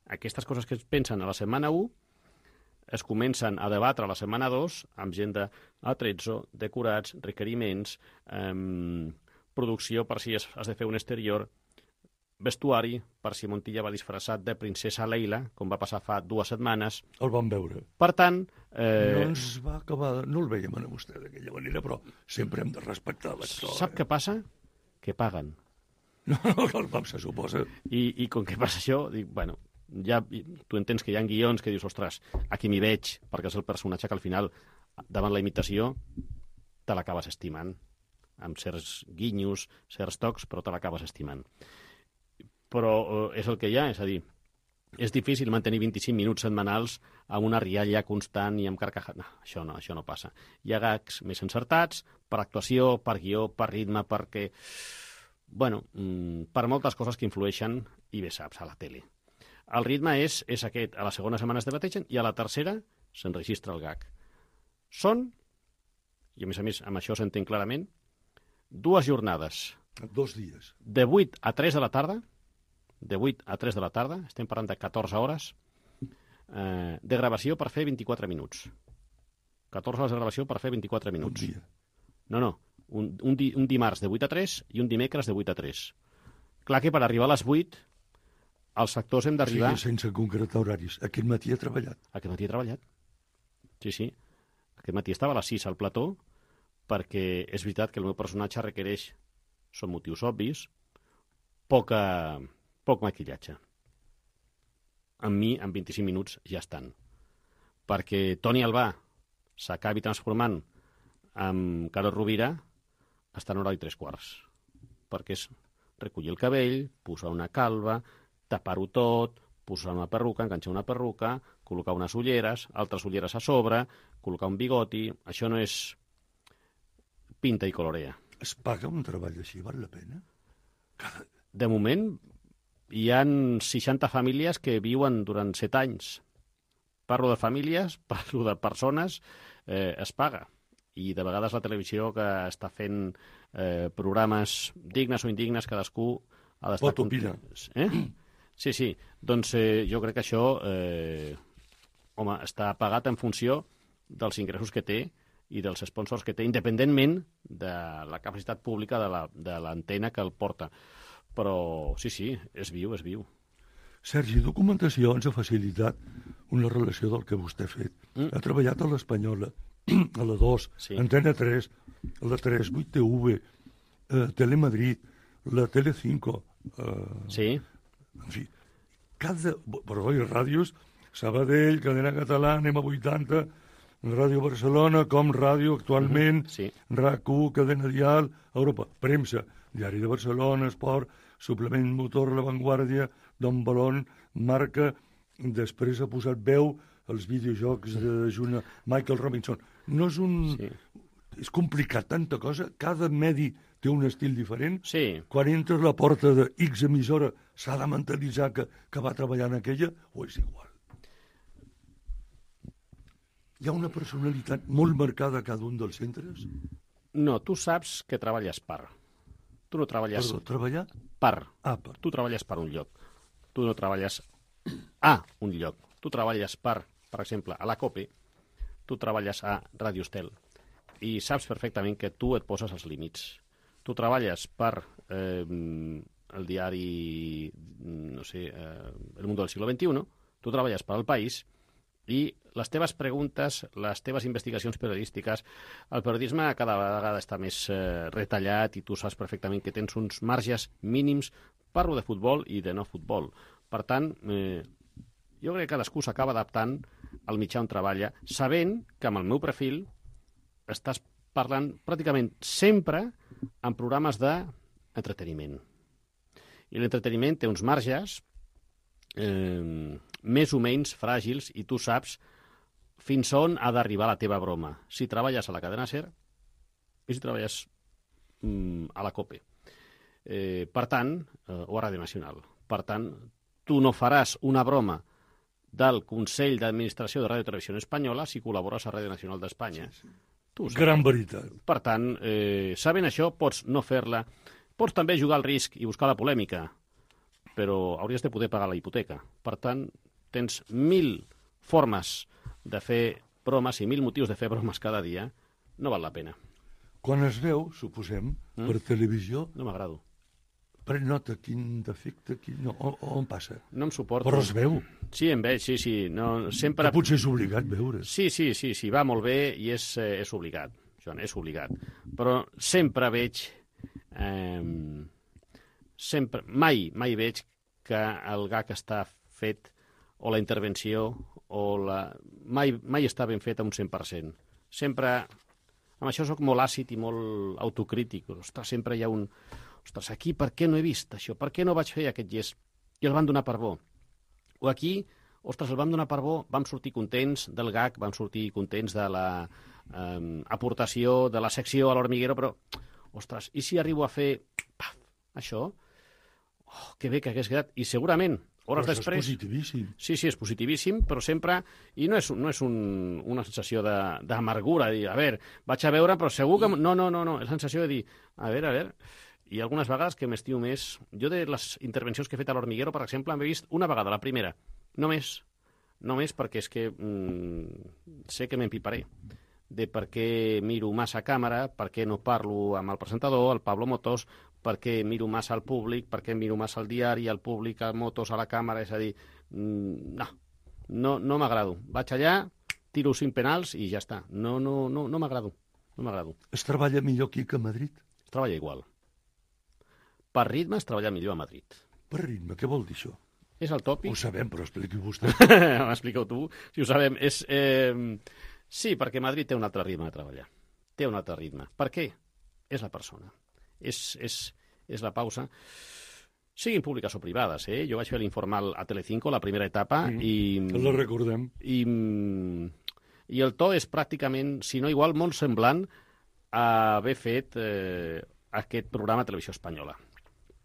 Aquestes coses que es pensen a la setmana u es comencen a debatre a la setmana dos amb gent d'atrezzo, decorats, requeriments, eh, producció per si es, has de fer un exterior, vestuari per si Montilla va disfressat de princesa Leila, com va passar fa dues setmanes. El vam veure. Per tant... Eh... No ens va acabar... No el veiem a vostè d'aquella manera, però sempre hem de respectar l'actor. Sap eh? què passa? Que paguen. No, no, el pap se suposa. I, I com que passa això, dic, bueno, ja tu entens que hi ha guions que dius, ostres, aquí m'hi veig, perquè és el personatge que al final, davant la imitació, te l'acabes estimant, amb certs guinyos, certs tocs, però te l'acabes estimant. Però eh, és el que hi ha, és a dir, és difícil mantenir vint-i-cinc minuts setmanals amb una rialla constant i amb carcajada. No, això no, això no passa. Hi ha gags més encertats, per actuació, per guió, per ritme, perquè... Bueno, per moltes coses que influeixen, i bé saps, a la tele. El ritme és, és aquest, a la segona setmana es debateixen i a la tercera s'enregistra el gag. Són, i a més a més amb això s'entén clarament, dues jornades. Dos dies. De vuit a tres de la tarda, de vuit a tres de la tarda, estem parlant de catorze hores, eh, de gravació per fer vint-i-quatre minuts. catorze hores de gravació per fer vint-i-quatre minuts. Un dia. No, no. Un, un, di, un dimarts de vuit a tres i un dimecres de vuit a tres. Clar que per arribar a les vuit els actors hem d'arribar... Sí, sense concretar horaris. Aquest matí he treballat. Aquest matí he treballat. Sí, sí. Aquest matí estava a les sis al plató perquè és veritat que el meu personatge requereix, són motius obvis, poca, poc maquillatge. Amb mi, en vint-i-cinc minuts, ja estan. Perquè Toni Albà s'acabi transformant amb Carol Rovira està en hora i tres quarts. Perquè és recollir el cabell, posar una calva, tapar-ho tot, posar una perruca, enganxar una perruca, col·locar unes ulleres, altres ulleres a sobre, col·locar un bigoti... Això no és pinta i colorea. Es paga un treball així? Val la pena? Cada... De moment, hi ha seixanta famílies que viuen durant set anys. Parlo de famílies, parlo de persones, eh, es paga. I de vegades la televisió que està fent eh, programes dignes o indignes, cadascú ha d'estar... Pot opinar. Eh? Sí, sí. Doncs eh, jo crec que això eh, home, està pagat en funció dels ingressos que té i dels sponsors que té, independentment de la capacitat pública de l'antena que el porta. Però sí, sí, és viu, és viu. Sergi, documentació ens ha facilitat una relació del que vostè ha fet. Mm. Ha treballat a l'Espanyola, a la dos, sí. Antena tres, a la tres, vuit T V, eh, Telemadrid, la Telecinco. Eh, sí. En fi, cada... Però oi, ràdios, Sabadell, Cadena Catalana, M vuitanta, Ràdio Barcelona, Com Ràdio actualment, mm-hmm. sí. R A C u, Cadena Dial, Europa, Premsa, Diari de Barcelona, Esport, Suplement Motor, La Vanguardia, Don Balón, Marca, després ha posat veu als videojocs de Juna Michael Robinson. No és un... Sí. És complicat, tanta cosa. Cada medi té un estil diferent. Sí. Quan entres a la porta de X emissora s'ha de mentalitzar que, que va treballar en aquella, o és igual? Hi ha una personalitat molt marcada a cada un dels centres? No, tu saps que treballes per. Tu no treballes... Perdó, treballar? Per. Ah, per. Tu treballes per un lloc. Tu no treballes a un lloc. Tu treballes per, per exemple, a la COPE, tu treballes a Ràdio Estel i saps perfectament que tu et poses els límits. Tu treballes per eh, el diari, no sé, eh, El Mundo del siglo veintiuno, tu treballes per al País I les teves preguntes, les teves investigacions periodístiques, el periodisme cada vegada està més eh, retallat i tu saps perfectament que tens uns marges mínims, parlo de futbol i de no futbol. Per tant, eh, jo crec que cadascú s'acaba adaptant al mitjà on treballa, sabent que amb el meu perfil estàs parlant pràcticament sempre en programes d'entreteniment. I l'entreteniment té uns marges eh, més o menys fràgils i tu saps fins on ha d'arribar la teva broma. Si treballes a la cadena SER i si treballes mm, a la COPE. Eh, per tant, eh, o a Ràdio Nacional. Per tant, tu no faràs una broma del Consell d'Administració de Ràdio i Televisió Espanyola si col·labores a Ràdio Nacional d'Espanya. Sí, sí. Tu Gran veritat. Per tant, eh, sabent això, pots no fer-la. Pots també jugar al risc i buscar la polèmica, però hauries de poder pagar la hipoteca. Per tant, tens mil formes de fer bromes i mil motius de fer bromes cada dia. No val la pena. Quan es veu, suposem, mm? per televisió... No m'agrado. Pren nota, quin defecte, quin... No, on, on passa? No em suporto. Però es veu. Sí, em veig, sí, sí. No, sempre... Que potser és obligat veure. Sí, sí, sí, sí, va molt bé i és, eh, és obligat, Joan, és obligat. Però sempre veig... Eh, sempre, mai, mai veig que el gag està fet o la intervenció o la... Mai, mai està ben fet a un cent per cent. Sempre... Amb això soc molt àcid i molt autocrític. Ostres, sempre hi ha un... Ostres, aquí per què no he vist això? Per què no vaig fer aquest gest? I el van donar per bo. O aquí, ostres, el vam donar per bo, vam sortir contents del gag, vam sortir contents de la eh, aportació, de la secció a l'Hormiguero, però, ostres, i si arribo a fer paf, això? Oh, que bé que hagués quedat. I segurament, hores però després... és positivíssim. Sí, sí, és positivíssim, però sempre... I no és, no és un, una sensació d'amargura, de, dir, a veure, vaig a veure, però segur que... No, no, no, no, és la sensació de dir, a veure, a veure... I algunes vegades que m'estimo més... Jo de les intervencions que he fet a l'Hormiguero, per exemple, m'he vist una vegada, la primera. Només. Només perquè és que mm, sé que m'empiparé. De per què miro massa a càmera, per què no parlo amb el presentador, el Pablo Motos, per què miro massa al públic, per què miro massa al diari, al públic, al Motos, a la càmera, és a dir... Mm, no, no, no m'agrado. Vaig allà, tiro cinc penals i ja està. No, no, no, no m'agrado. No m'agrado. Es treballa millor aquí que a Madrid? Es treballa igual. Per ritme es treballa millor a Madrid. Per ritme, què vol dir això? És el tòpic. Ho sabem, però expliqui vostè. M'expliqueu tu, si ho sabem. És, eh... Sí, perquè Madrid té un altre ritme de treballar. Té un altre ritme. Per què? És la persona. És, és, és la pausa. Siguin públiques o privades, eh? Jo vaig fer l'informal a Telecinco, la primera etapa, mm, i... La recordem. I, I el to és pràcticament, si no igual, molt semblant a haver fet eh, aquest programa a Televisió Espanyola.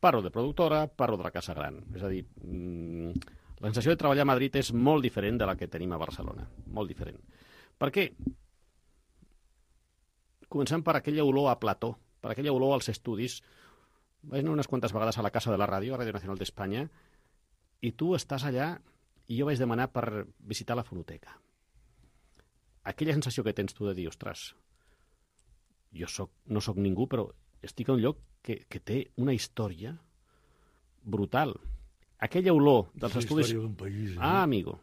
Parlo de productora, parlo de la Casa Gran. És a dir, mmm, la sensació de treballar a Madrid és molt diferent de la que tenim a Barcelona. Molt diferent. Per què? Començant per aquella olor a plató, per aquella olor als estudis. Vaig anar unes quantes vegades a la Casa de la Ràdio, a Ràdio Nacional d'Espanya, i tu estàs allà i jo vaig demanar per visitar la fonoteca. Aquella sensació que tens tu de dir, ostres, jo soc, no sóc ningú, però estic a un lloc que, que té una història brutal. Aquella olor dels és estudis... d'un país, eh? Ah, amigo.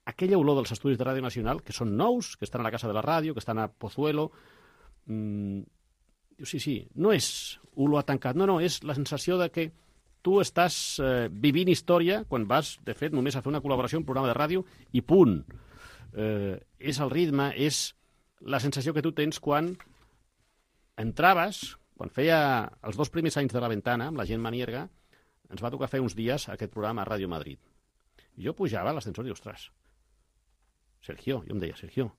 Aquella olor dels estudis de Ràdio Nacional, que són nous, que estan a la Casa de la Ràdio, que estan a Pozuelo... Mmm, sí, sí, no és olor a tancat, no, no, és la sensació de que tu estàs eh, vivint història quan vas, de fet, només a fer una col·laboració, un programa de ràdio, i punt. Eh, és el ritme, és la sensació que tu tens quan entraves, quan feia els dos primers anys de la Ventana, amb la gent manierga, ens va tocar fer uns dies aquest programa a Ràdio Madrid. I jo pujava a l'ascensor i, ostres, Sergio, jo em deia, Sergio,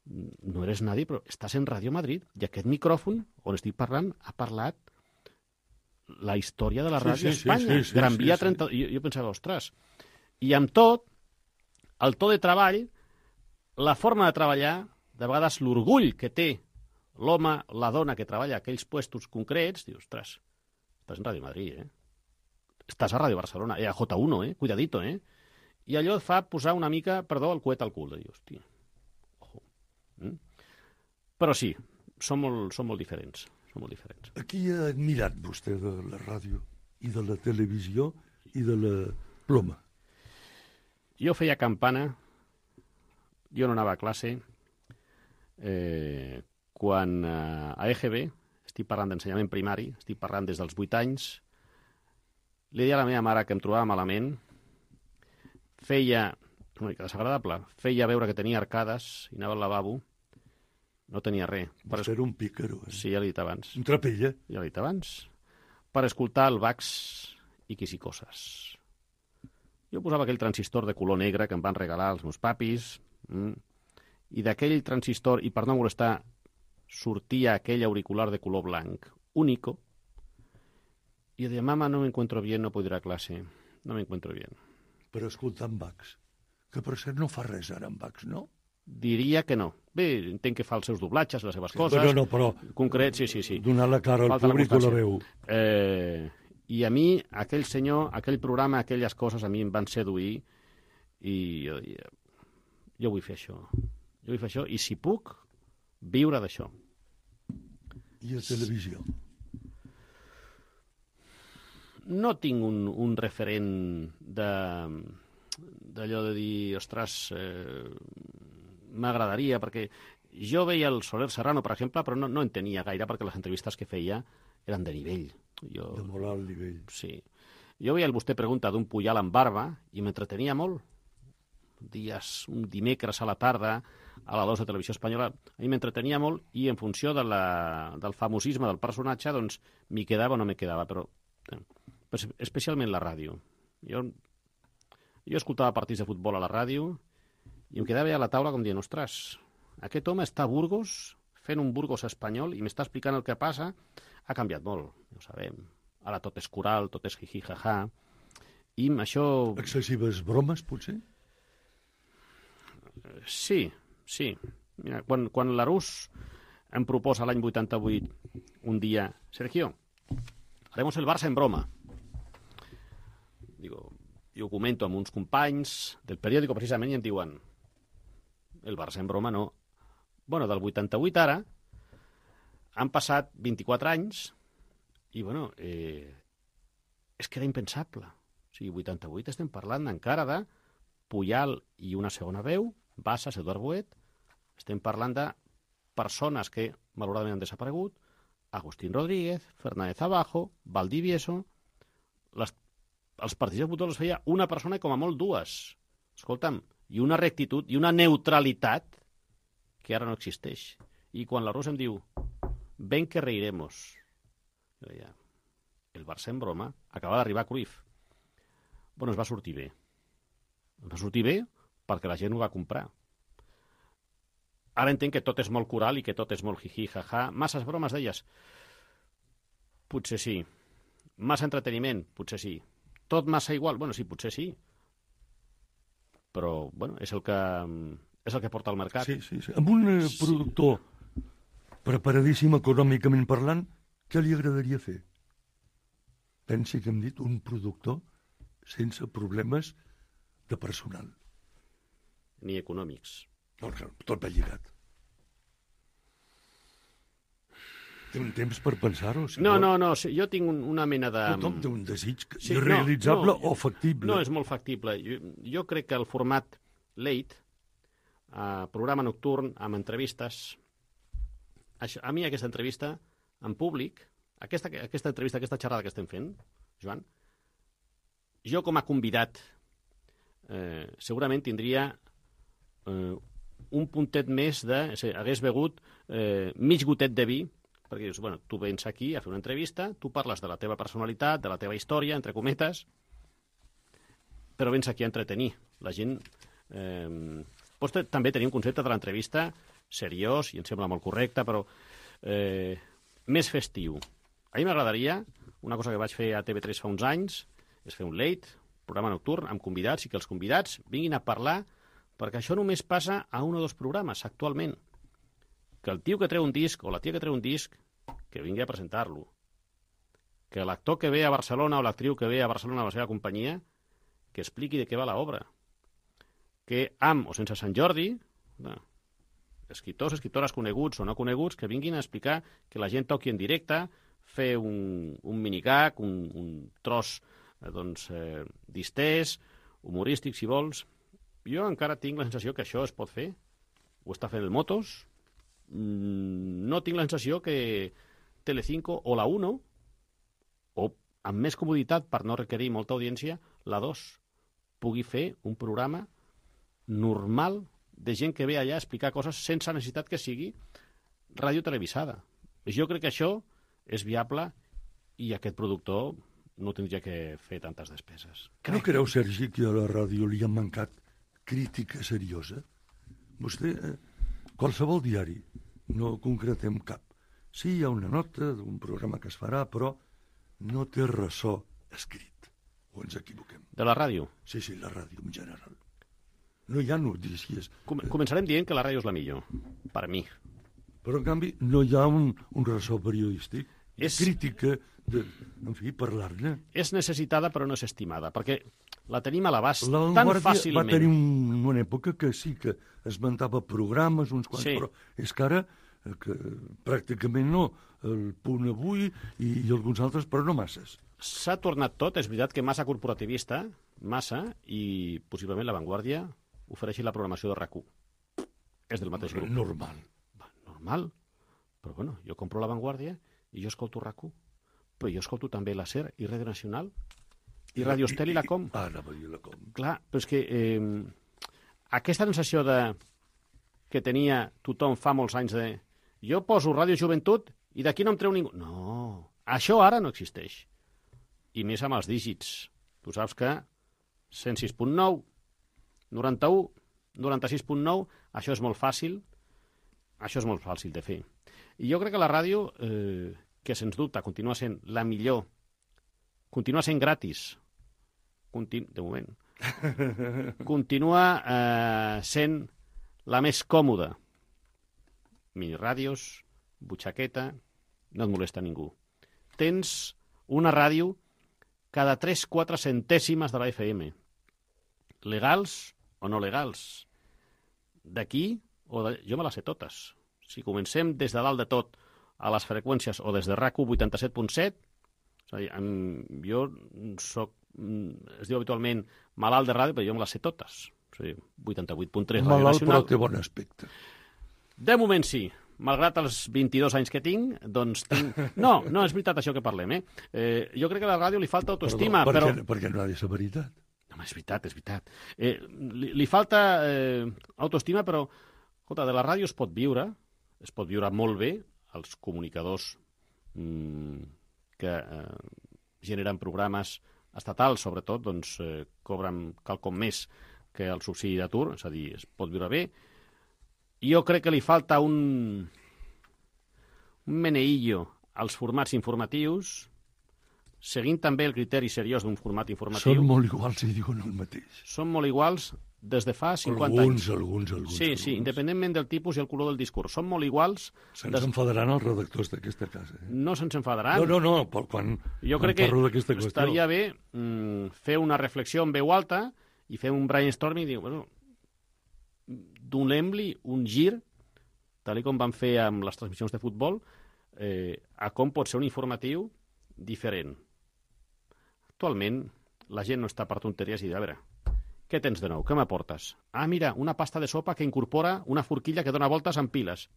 no eres nadie, però estàs en Ràdio Madrid i aquest micròfon on estic parlant ha parlat la història de la ràdio a sí, sí, Espanya. sí, sí, Gran Via sí, sí. trenta... Jo, jo pensava, ostres, i amb tot, el to de treball, la forma de treballar, de vegades l'orgull que té l'home, la dona que treballa a aquells puestos concrets, dius, ostres, estàs en Ràdio Madrid, eh? Estàs a Ràdio Barcelona, eh? A J uno, eh? Cuidadito, eh? I allò et fa posar una mica, perdó, el coet al cul. De dir, hòstia, ojo. Mm? Però sí, són molt, són molt diferents. Són molt diferents. A qui ha admirat vostè de la ràdio i de la televisió i de la ploma? Jo feia campana jo no anava a classe eh, quan eh, a E G B, estic parlant d'ensenyament primari, estic parlant des dels vuit anys, li deia a la meva mare que em trobava malament, feia, una mica desagradable, feia veure que tenia arcades i anava al lavabo, no tenia res. Per ser un pícaro, eh? Sí, ja l'he dit abans. Un trapella. Ja l'he dit abans. Per escoltar el Bax i Quisicoses. Jo posava aquell transistor de color negre que em van regalar els meus papis, mm, i d'aquell transistor, i per no molestar, sortia aquell auricular de color blanc, único, i jo deia, mama, no me encuentro bien, no puedo ir a clase, no me encuentro bien. Per escoltar en Bax, que per cert no fa res ara en Bax, no? Diria que no. Bé, entenc que fa els seus doblatges, les seves coses. Però no, però... Concret, sí, sí, sí. Donar la cara al Falta la públic o la constància. veu. Eh, I a mi, aquell senyor, aquell programa, aquelles coses a mi em van seduir i jo, jo, jo vull fer això. Jo vull fer això i si puc, viure d'això. I a televisió? No tinc un, un referent de d'allò de dir, ostres, eh, m'agradaria, perquè jo veia el Soler Serrano, per exemple, però no, no en tenia gaire perquè les entrevistes que feia eren de nivell. Jo, de molt alt nivell. Sí. Jo veia el Vostè pregunta d'un Pujal amb barba i m'entretenia molt. Dies, un dimecres a la tarda, a la dos de Televisió Espanyola, a mi m'entretenia molt i en funció de la, del famosisme del personatge, doncs m'hi quedava o no m'hi quedava, però eh, especialment la ràdio. Jo, jo escoltava partits de futbol a la ràdio i em quedava a la taula com dient, ostres, aquest home està a Burgos, fent un Burgos espanyol, i m'està explicant el que passa. Ha canviat molt, ja ho sabem. Ara tot és coral, tot és jiji, jaja. I això... Excessives bromes, potser? Sí, sí. Mira, quan, quan l'Arús em proposa l'any vuitanta-vuit un dia, Sergio, haremos el Barça en broma. Digo, jo ho comento amb uns companys del periòdico precisament i em diuen el Barça en broma no. Bueno, del vuitanta-vuit ara han passat vint-i-quatre anys i, bueno, eh, és que era impensable. O sigui, vuitanta-vuit estem parlant encara de Pujal i una segona veu, Bassas, Eduard Boet, estem parlant de persones que malauradament han desaparegut, Agustín Rodríguez, Fernández Abajo, Valdivieso, les, els partits de futbol els feia una persona i com a molt dues. Escolta'm, i una rectitud i una neutralitat que ara no existeix. I quan la Rosa em diu ven que reiremos, jo deia, el Barça en broma, acaba d'arribar a Cruyff. Bueno, es va sortir bé. Es va sortir bé perquè la gent ho va comprar. Ara entenc que tot és molt coral i que tot és molt jiji, jaja. Masses bromes d'elles? Potser sí. Massa entreteniment? Potser sí. Tot massa igual? Bueno, sí, potser sí. Però, bueno, és el que, és el que porta al mercat. Sí, sí, sí. Amb un eh, productor preparadíssim econòmicament parlant, què li agradaria fer? Pensi que hem dit un productor sense problemes de personal. Ni econòmics. No, tot va lligat. Té un temps per pensar-ho? Si no, no, no, sí, jo tinc un, una mena de... Tothom té un desig sí, irrealitzable no, no, o factible. No, és molt factible. Jo, jo crec que el format late, eh, programa nocturn, amb entrevistes, això, a mi aquesta entrevista en públic, aquesta, aquesta entrevista, aquesta xerrada que estem fent, Joan, jo com a convidat eh, segurament tindria eh, un puntet més de... Si hagués begut eh, mig gotet de vi, perquè dius, bueno, tu vens aquí a fer una entrevista, tu parles de la teva personalitat, de la teva història, entre cometes, però vens aquí a entretenir. La gent... Eh, pots també tenir un concepte de l'entrevista seriós, i em sembla molt correcte, però eh, més festiu. A mi m'agradaria, una cosa que vaig fer a T V tres fa uns anys, és fer un late, programa nocturn, amb convidats, i que els convidats vinguin a parlar, perquè això només passa a un o dos programes actualment. Que el tio que treu un disc o la tia que treu un disc, que vingui a presentar-lo. Que l'actor que ve a Barcelona o l'actriu que ve a Barcelona a la seva companyia, que expliqui de què va l'obra. Que amb o sense Sant Jordi, no, escriptors, escriptores coneguts o no coneguts, que vinguin a explicar, que la gent toqui en directe, fer un, un minigag, un, un tros eh, doncs, eh, distès, humorístic, si vols. jo encara tinc la sensació que això es pot fer. Ho està fent el Motos. No tinc la sensació que Telecinco o la uno, o amb més comoditat per no requerir molta audiència, la dos, pugui fer un programa normal de gent que ve allà a explicar coses sense necessitat que sigui ràdio televisada. Jo crec que això és viable i aquest productor no tindria que fer tantes despeses. No creu, Sergi, que a la ràdio li ha mancat crítica seriosa? Vostè, eh, qualsevol diari, no concretem cap. Sí, hi ha una nota d'un programa que es farà, però no té ressò escrit. O ens equivoquem? De la ràdio? Sí, sí, la ràdio en general. No hi ha notícies. Com començarem dient que la ràdio és la millor, per mi. Però, en canvi, no hi ha un, un ressò periodístic. És... Crítica, de, en fi, parlar-ne. És necessitada però no és estimada, perquè la tenim a l'abast tan L'Avantguàrdia fàcilment. va tenir un, una època que sí que esmentava programes, uns quants, Sí. però és que ara eh, que pràcticament no. El Punt Avui i, i alguns altres, però no masses. S'ha tornat tot, és veritat que massa corporativista, massa, i possiblement l'Avantguàrdia ofereixi la programació de R A C u. És del mateix grup. Normal. Va, normal. Però bueno, jo compro l'Avantguàrdia i jo escolto R A C u. Però jo escolto també la SER i Ràdio Nacional i Ràdio Estel i la Com. Ah, anava a dir la Com. Clar, però és que eh, aquesta sensació de que tenia tothom fa molts anys de jo poso Ràdio Joventut i d'aquí no em treu ningú. No, això ara no existeix. I més amb els dígits. Tu saps que cent sis punt nou, noranta-u, noranta-sis punt nou, això és molt fàcil, això és molt fàcil de fer. I jo crec que la ràdio, eh, que sens dubte continua sent la millor, continua sent gratis, continu, de moment, continua eh, sent la més còmoda. Miniràdios, butxaqueta, no et molesta ningú. Tens una ràdio cada tres quatre centèsimes de la F M. Legals o no legals. D'aquí, o de... jo me les sé totes. Si comencem des de dalt de tot a les freqüències o des de R A C u vuitanta-set punt set, és a dir, jo soc, es diu habitualment malalt de ràdio, però jo me les sé totes. És a dir, vuitanta-vuit punt tres Ràdio Malalt, Nacional. però té bon aspecte. De moment sí. Malgrat els vint-i-dos anys que tinc, doncs tinc... No, no és veritat això que parlem, eh? eh jo crec que a la ràdio li falta autoestima, Perdó, però... perquè, perquè no ha de ser veritat. No, és veritat, és veritat. Eh, li, li falta eh, autoestima, però, escolta, de la ràdio es pot viure, es pot viure molt bé, els comunicadors mm, que eh, generen programes estatals, sobretot, doncs eh, cobren quelcom més que el subsidi d'atur, és a dir, es pot viure bé. Jo crec que li falta un, un meneillo als formats informatius, seguint també el criteri seriós d'un format informatiu. Són molt iguals i diuen el mateix. Són molt iguals des de fa cinquanta alguns, anys. Alguns, alguns, Sí, alguns. sí, independentment del tipus i el color del discurs. Són molt iguals. Se'ns des... enfadaran els redactors d'aquesta casa. Eh? No se'ns enfadaran. No, no, no, però quan, jo quan crec que parlo d'aquesta qüestió... estaria bé mm, fer una reflexió en veu alta i fer un brainstorming i dir, bueno, donem-li un gir, tal com van fer amb les transmissions de futbol, eh, a com pot ser un informatiu diferent. Actualment, la gent no està per tonteries i de, a veure, què tens de nou? Què m'aportes? Ah, mira, una pasta de sopa que incorpora una forquilla que dona voltes amb piles.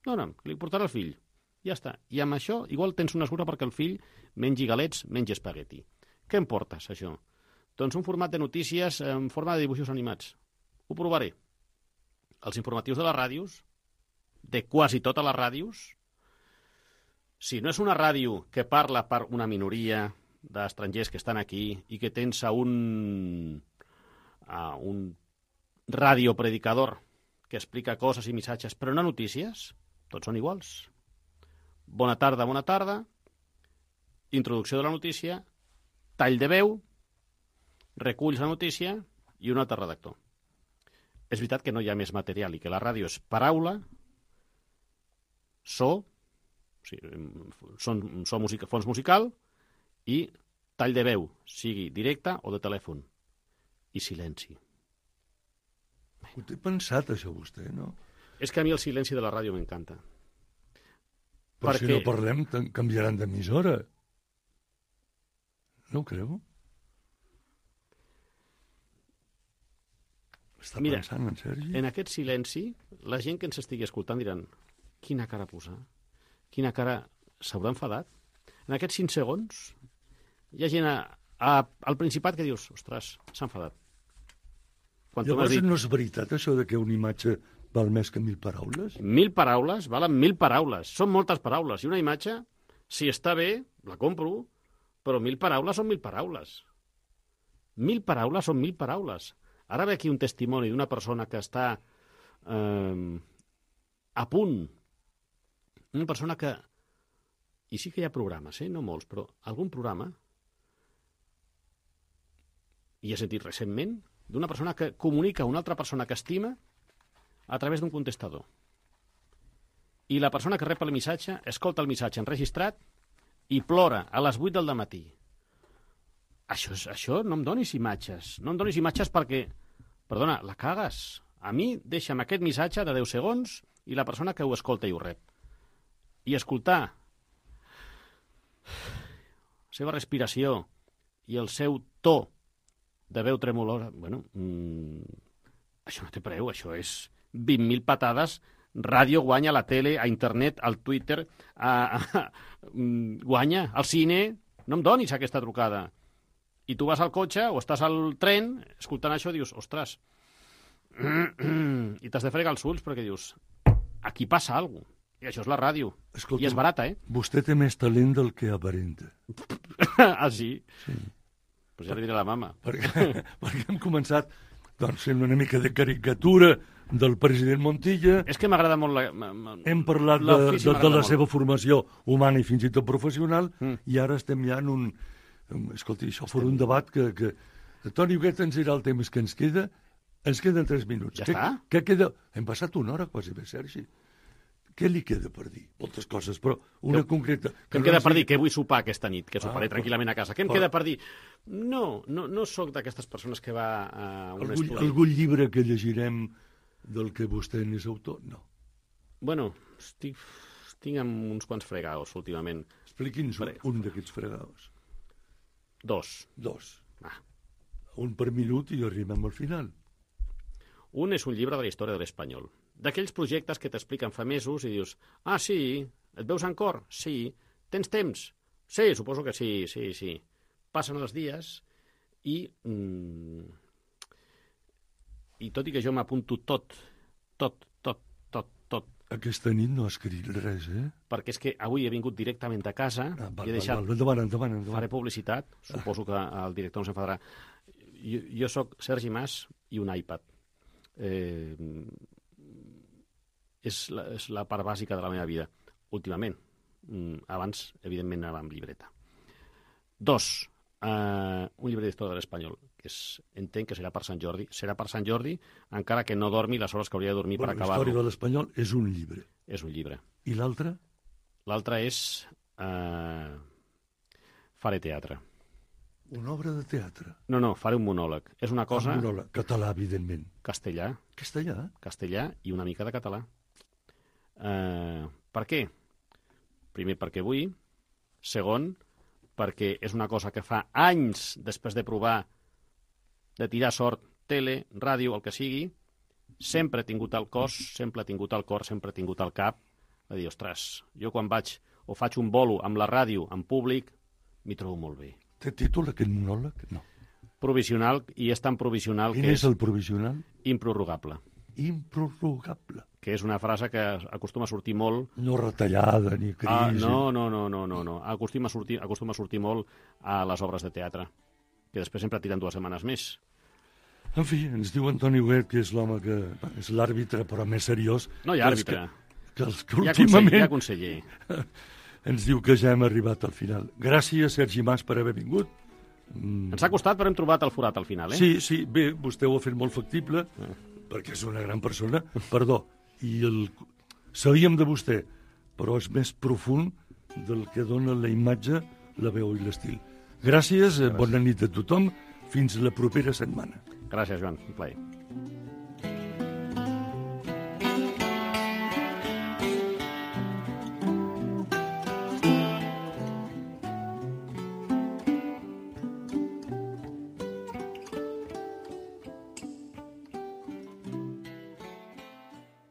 No, no, li portarà el fill. Ja està. I amb això, igual tens una excusa perquè el fill mengi galets, mengi espagueti. Què em portes, això? Doncs un format de notícies en forma de dibuixos animats. Ho provaré. Els informatius de les ràdios, de quasi totes les ràdios, si no és una ràdio que parla per una minoria d'estrangers que estan aquí i que tens a un, a un radiopredicador que explica coses i missatges, però no notícies, tots són iguals. Bona tarda, bona tarda, introducció de la notícia, tall de veu, reculls la notícia i un altre redactor. És veritat que no hi ha més material i que la ràdio és paraula, so, o sigui, son, so musica, fons musical i tall de veu, sigui directe o de telèfon. I silenci. Ho té pensat, això, vostè, no? És que a mi el silenci de la ràdio m'encanta. Però Perquè... si no parlem, canviaran d'emissora. No ho creu? Està Mira, pensant en Sergi? en aquest silenci, la gent que ens estigui escoltant diran quina cara posar, quina cara s'haurà enfadat. En aquests cinc segons hi ha gent a, a, al Principat que dius, ostres, s'ha enfadat. Quan tu m'has Llavors dit no és veritat això de que una imatge val més que mil paraules? mil paraules, valen mil paraules. Són moltes paraules. I una imatge, si està bé, la compro, però mil paraules són mil paraules. Mil paraules són mil paraules. Ara ve aquí un testimoni d'una persona que està eh, a punt. Una persona que... I sí que hi ha programes, eh? No molts, però algun programa i he sentit recentment d'una persona que comunica a una altra persona que estima a través d'un contestador. I la persona que rep el missatge escolta el missatge enregistrat i plora a les vuit del dematí. Això, és, això no em donis imatges. No em donis imatges perquè, perdona, la cagues. A mi deixa'm aquest missatge de deu segons i la persona que ho escolta i ho rep. I escoltar la seva respiració i el seu to de veu tremolosa, bueno, mmm, això no té preu, això és vint mil patades, ràdio guanya, a la tele, a internet, al Twitter, a, a, a, guanya, al cine, no em donis aquesta trucada. I tu vas al cotxe o estàs al tren, escoltant això, dius, ostres, i t'has de fregar els ulls perquè dius, aquí passa alguna cosa. I això és la ràdio. Escolta, I és barata, eh? Vostè té més talent del que aparenta. ah, sí? Sí. Pues ja li diré a la mama. Perquè, perquè hem començat doncs, fent una mica de caricatura del president Montilla. És que m'agrada molt la... ma- ma- Hem parlat de, l'ofici de, de m'agrada la molt. seva formació humana i fins i tot professional, Mm. i ara estem ja en un... Escolti, això fos un debat que... que Toni Huguet ens dirà el temps que ens queda. Ens queden tres minuts. Ja què, està? Què queda? Hem passat una hora quasi bé, Sergi. Què li queda per dir? Moltes coses, però una Que- concreta. Què em no queda ens per digui- dir? Què vull sopar aquesta nit? Que soparé Ah, tranquil·lament a casa. Què em però- queda per dir? No, no, no sóc d'aquestes persones que va a un Algun, estudi. algun llibre que llegirem del que vostè n'és autor? No. Bueno, estic, estic amb uns quants fregaos últimament. Expliqui'ns un, Vale. un d'aquests fregados. Dos. Dos. Ah. Un per minut i arribem al final. Un és un llibre de la història de l'espanyol. D'aquells projectes que t'expliquen fa mesos i dius, ah, sí, et veus en cor? Sí. Tens temps? Sí, suposo que sí, sí, sí. Passen els dies i... Mm, i tot i que jo m'apunto tot, tot, tot, tot, tot, Aquesta nit no ha escrit res, eh? perquè és que avui he vingut directament de casa Ah, val, i he val, deixat... val, endavant, endavant, endavant. Faré publicitat, suposo que el director no s'enfadarà. Jo, jo sóc Sergi Mas i un iPad. Eh, és, la, és la part bàsica de la meva vida, últimament. Mm, abans, evidentment, anava amb llibreta. Dos, eh, un llibre d'història de l'espanyol, que és, entenc que serà per Sant Jordi. Serà per Sant Jordi, encara que no dormi les hores que hauria de dormir Bueno, per la història acabar-lo. de l'espanyol és un llibre. És un llibre. I l'altre? L'altre és... Eh, faré teatre. Una obra de teatre. No, no, faré un monòleg. És una cosa... Ah, monòleg. Català, evidentment. Castellà, Castellà? castellà i una mica de català. Eh, per què? Primer, perquè vull. Segon, perquè és una cosa que fa anys després de provar de tirar sort, tele, ràdio, el que sigui, sempre he tingut al cos, sempre he tingut al cor, sempre he tingut al cap, a dir, ostres, jo quan vaig o faig un bolo amb la ràdio, en públic, m'hi trobo molt bé. Té títol aquest monòleg? No. Provisional, i és tan provisional Quin que és és el provisional? improrrogable, Improrrogable. que és una frase que acostuma a sortir molt. No retallada ni crisi. Ah, no, no, no, no, no, no. Acostuma a sortir, acostuma a sortir molt a les obres de teatre, que després sempre tiren dues setmanes més. En fi, ens diu Antoni Huguet que és l'home que bueno, és l'àrbitre, però més seriós. No hi ha que els àrbitre. Que, que els que Hi ha conseller, últimament hi ha conseller. ens diu que ja hem arribat al final. Gràcies, Sergi Mas, per haver vingut. Mm. Ens ha costat, però hem trobat el forat al final, eh? Sí, sí, bé, vostè ho ha fet molt factible, Eh. perquè és una gran persona, perdó, i el... sabíem de vostè, però és més profund del que dona la imatge, la veu i l'estil. Gràcies, Gràcies, bona nit a tothom, fins la propera setmana. Gràcies, Joan, un plaer.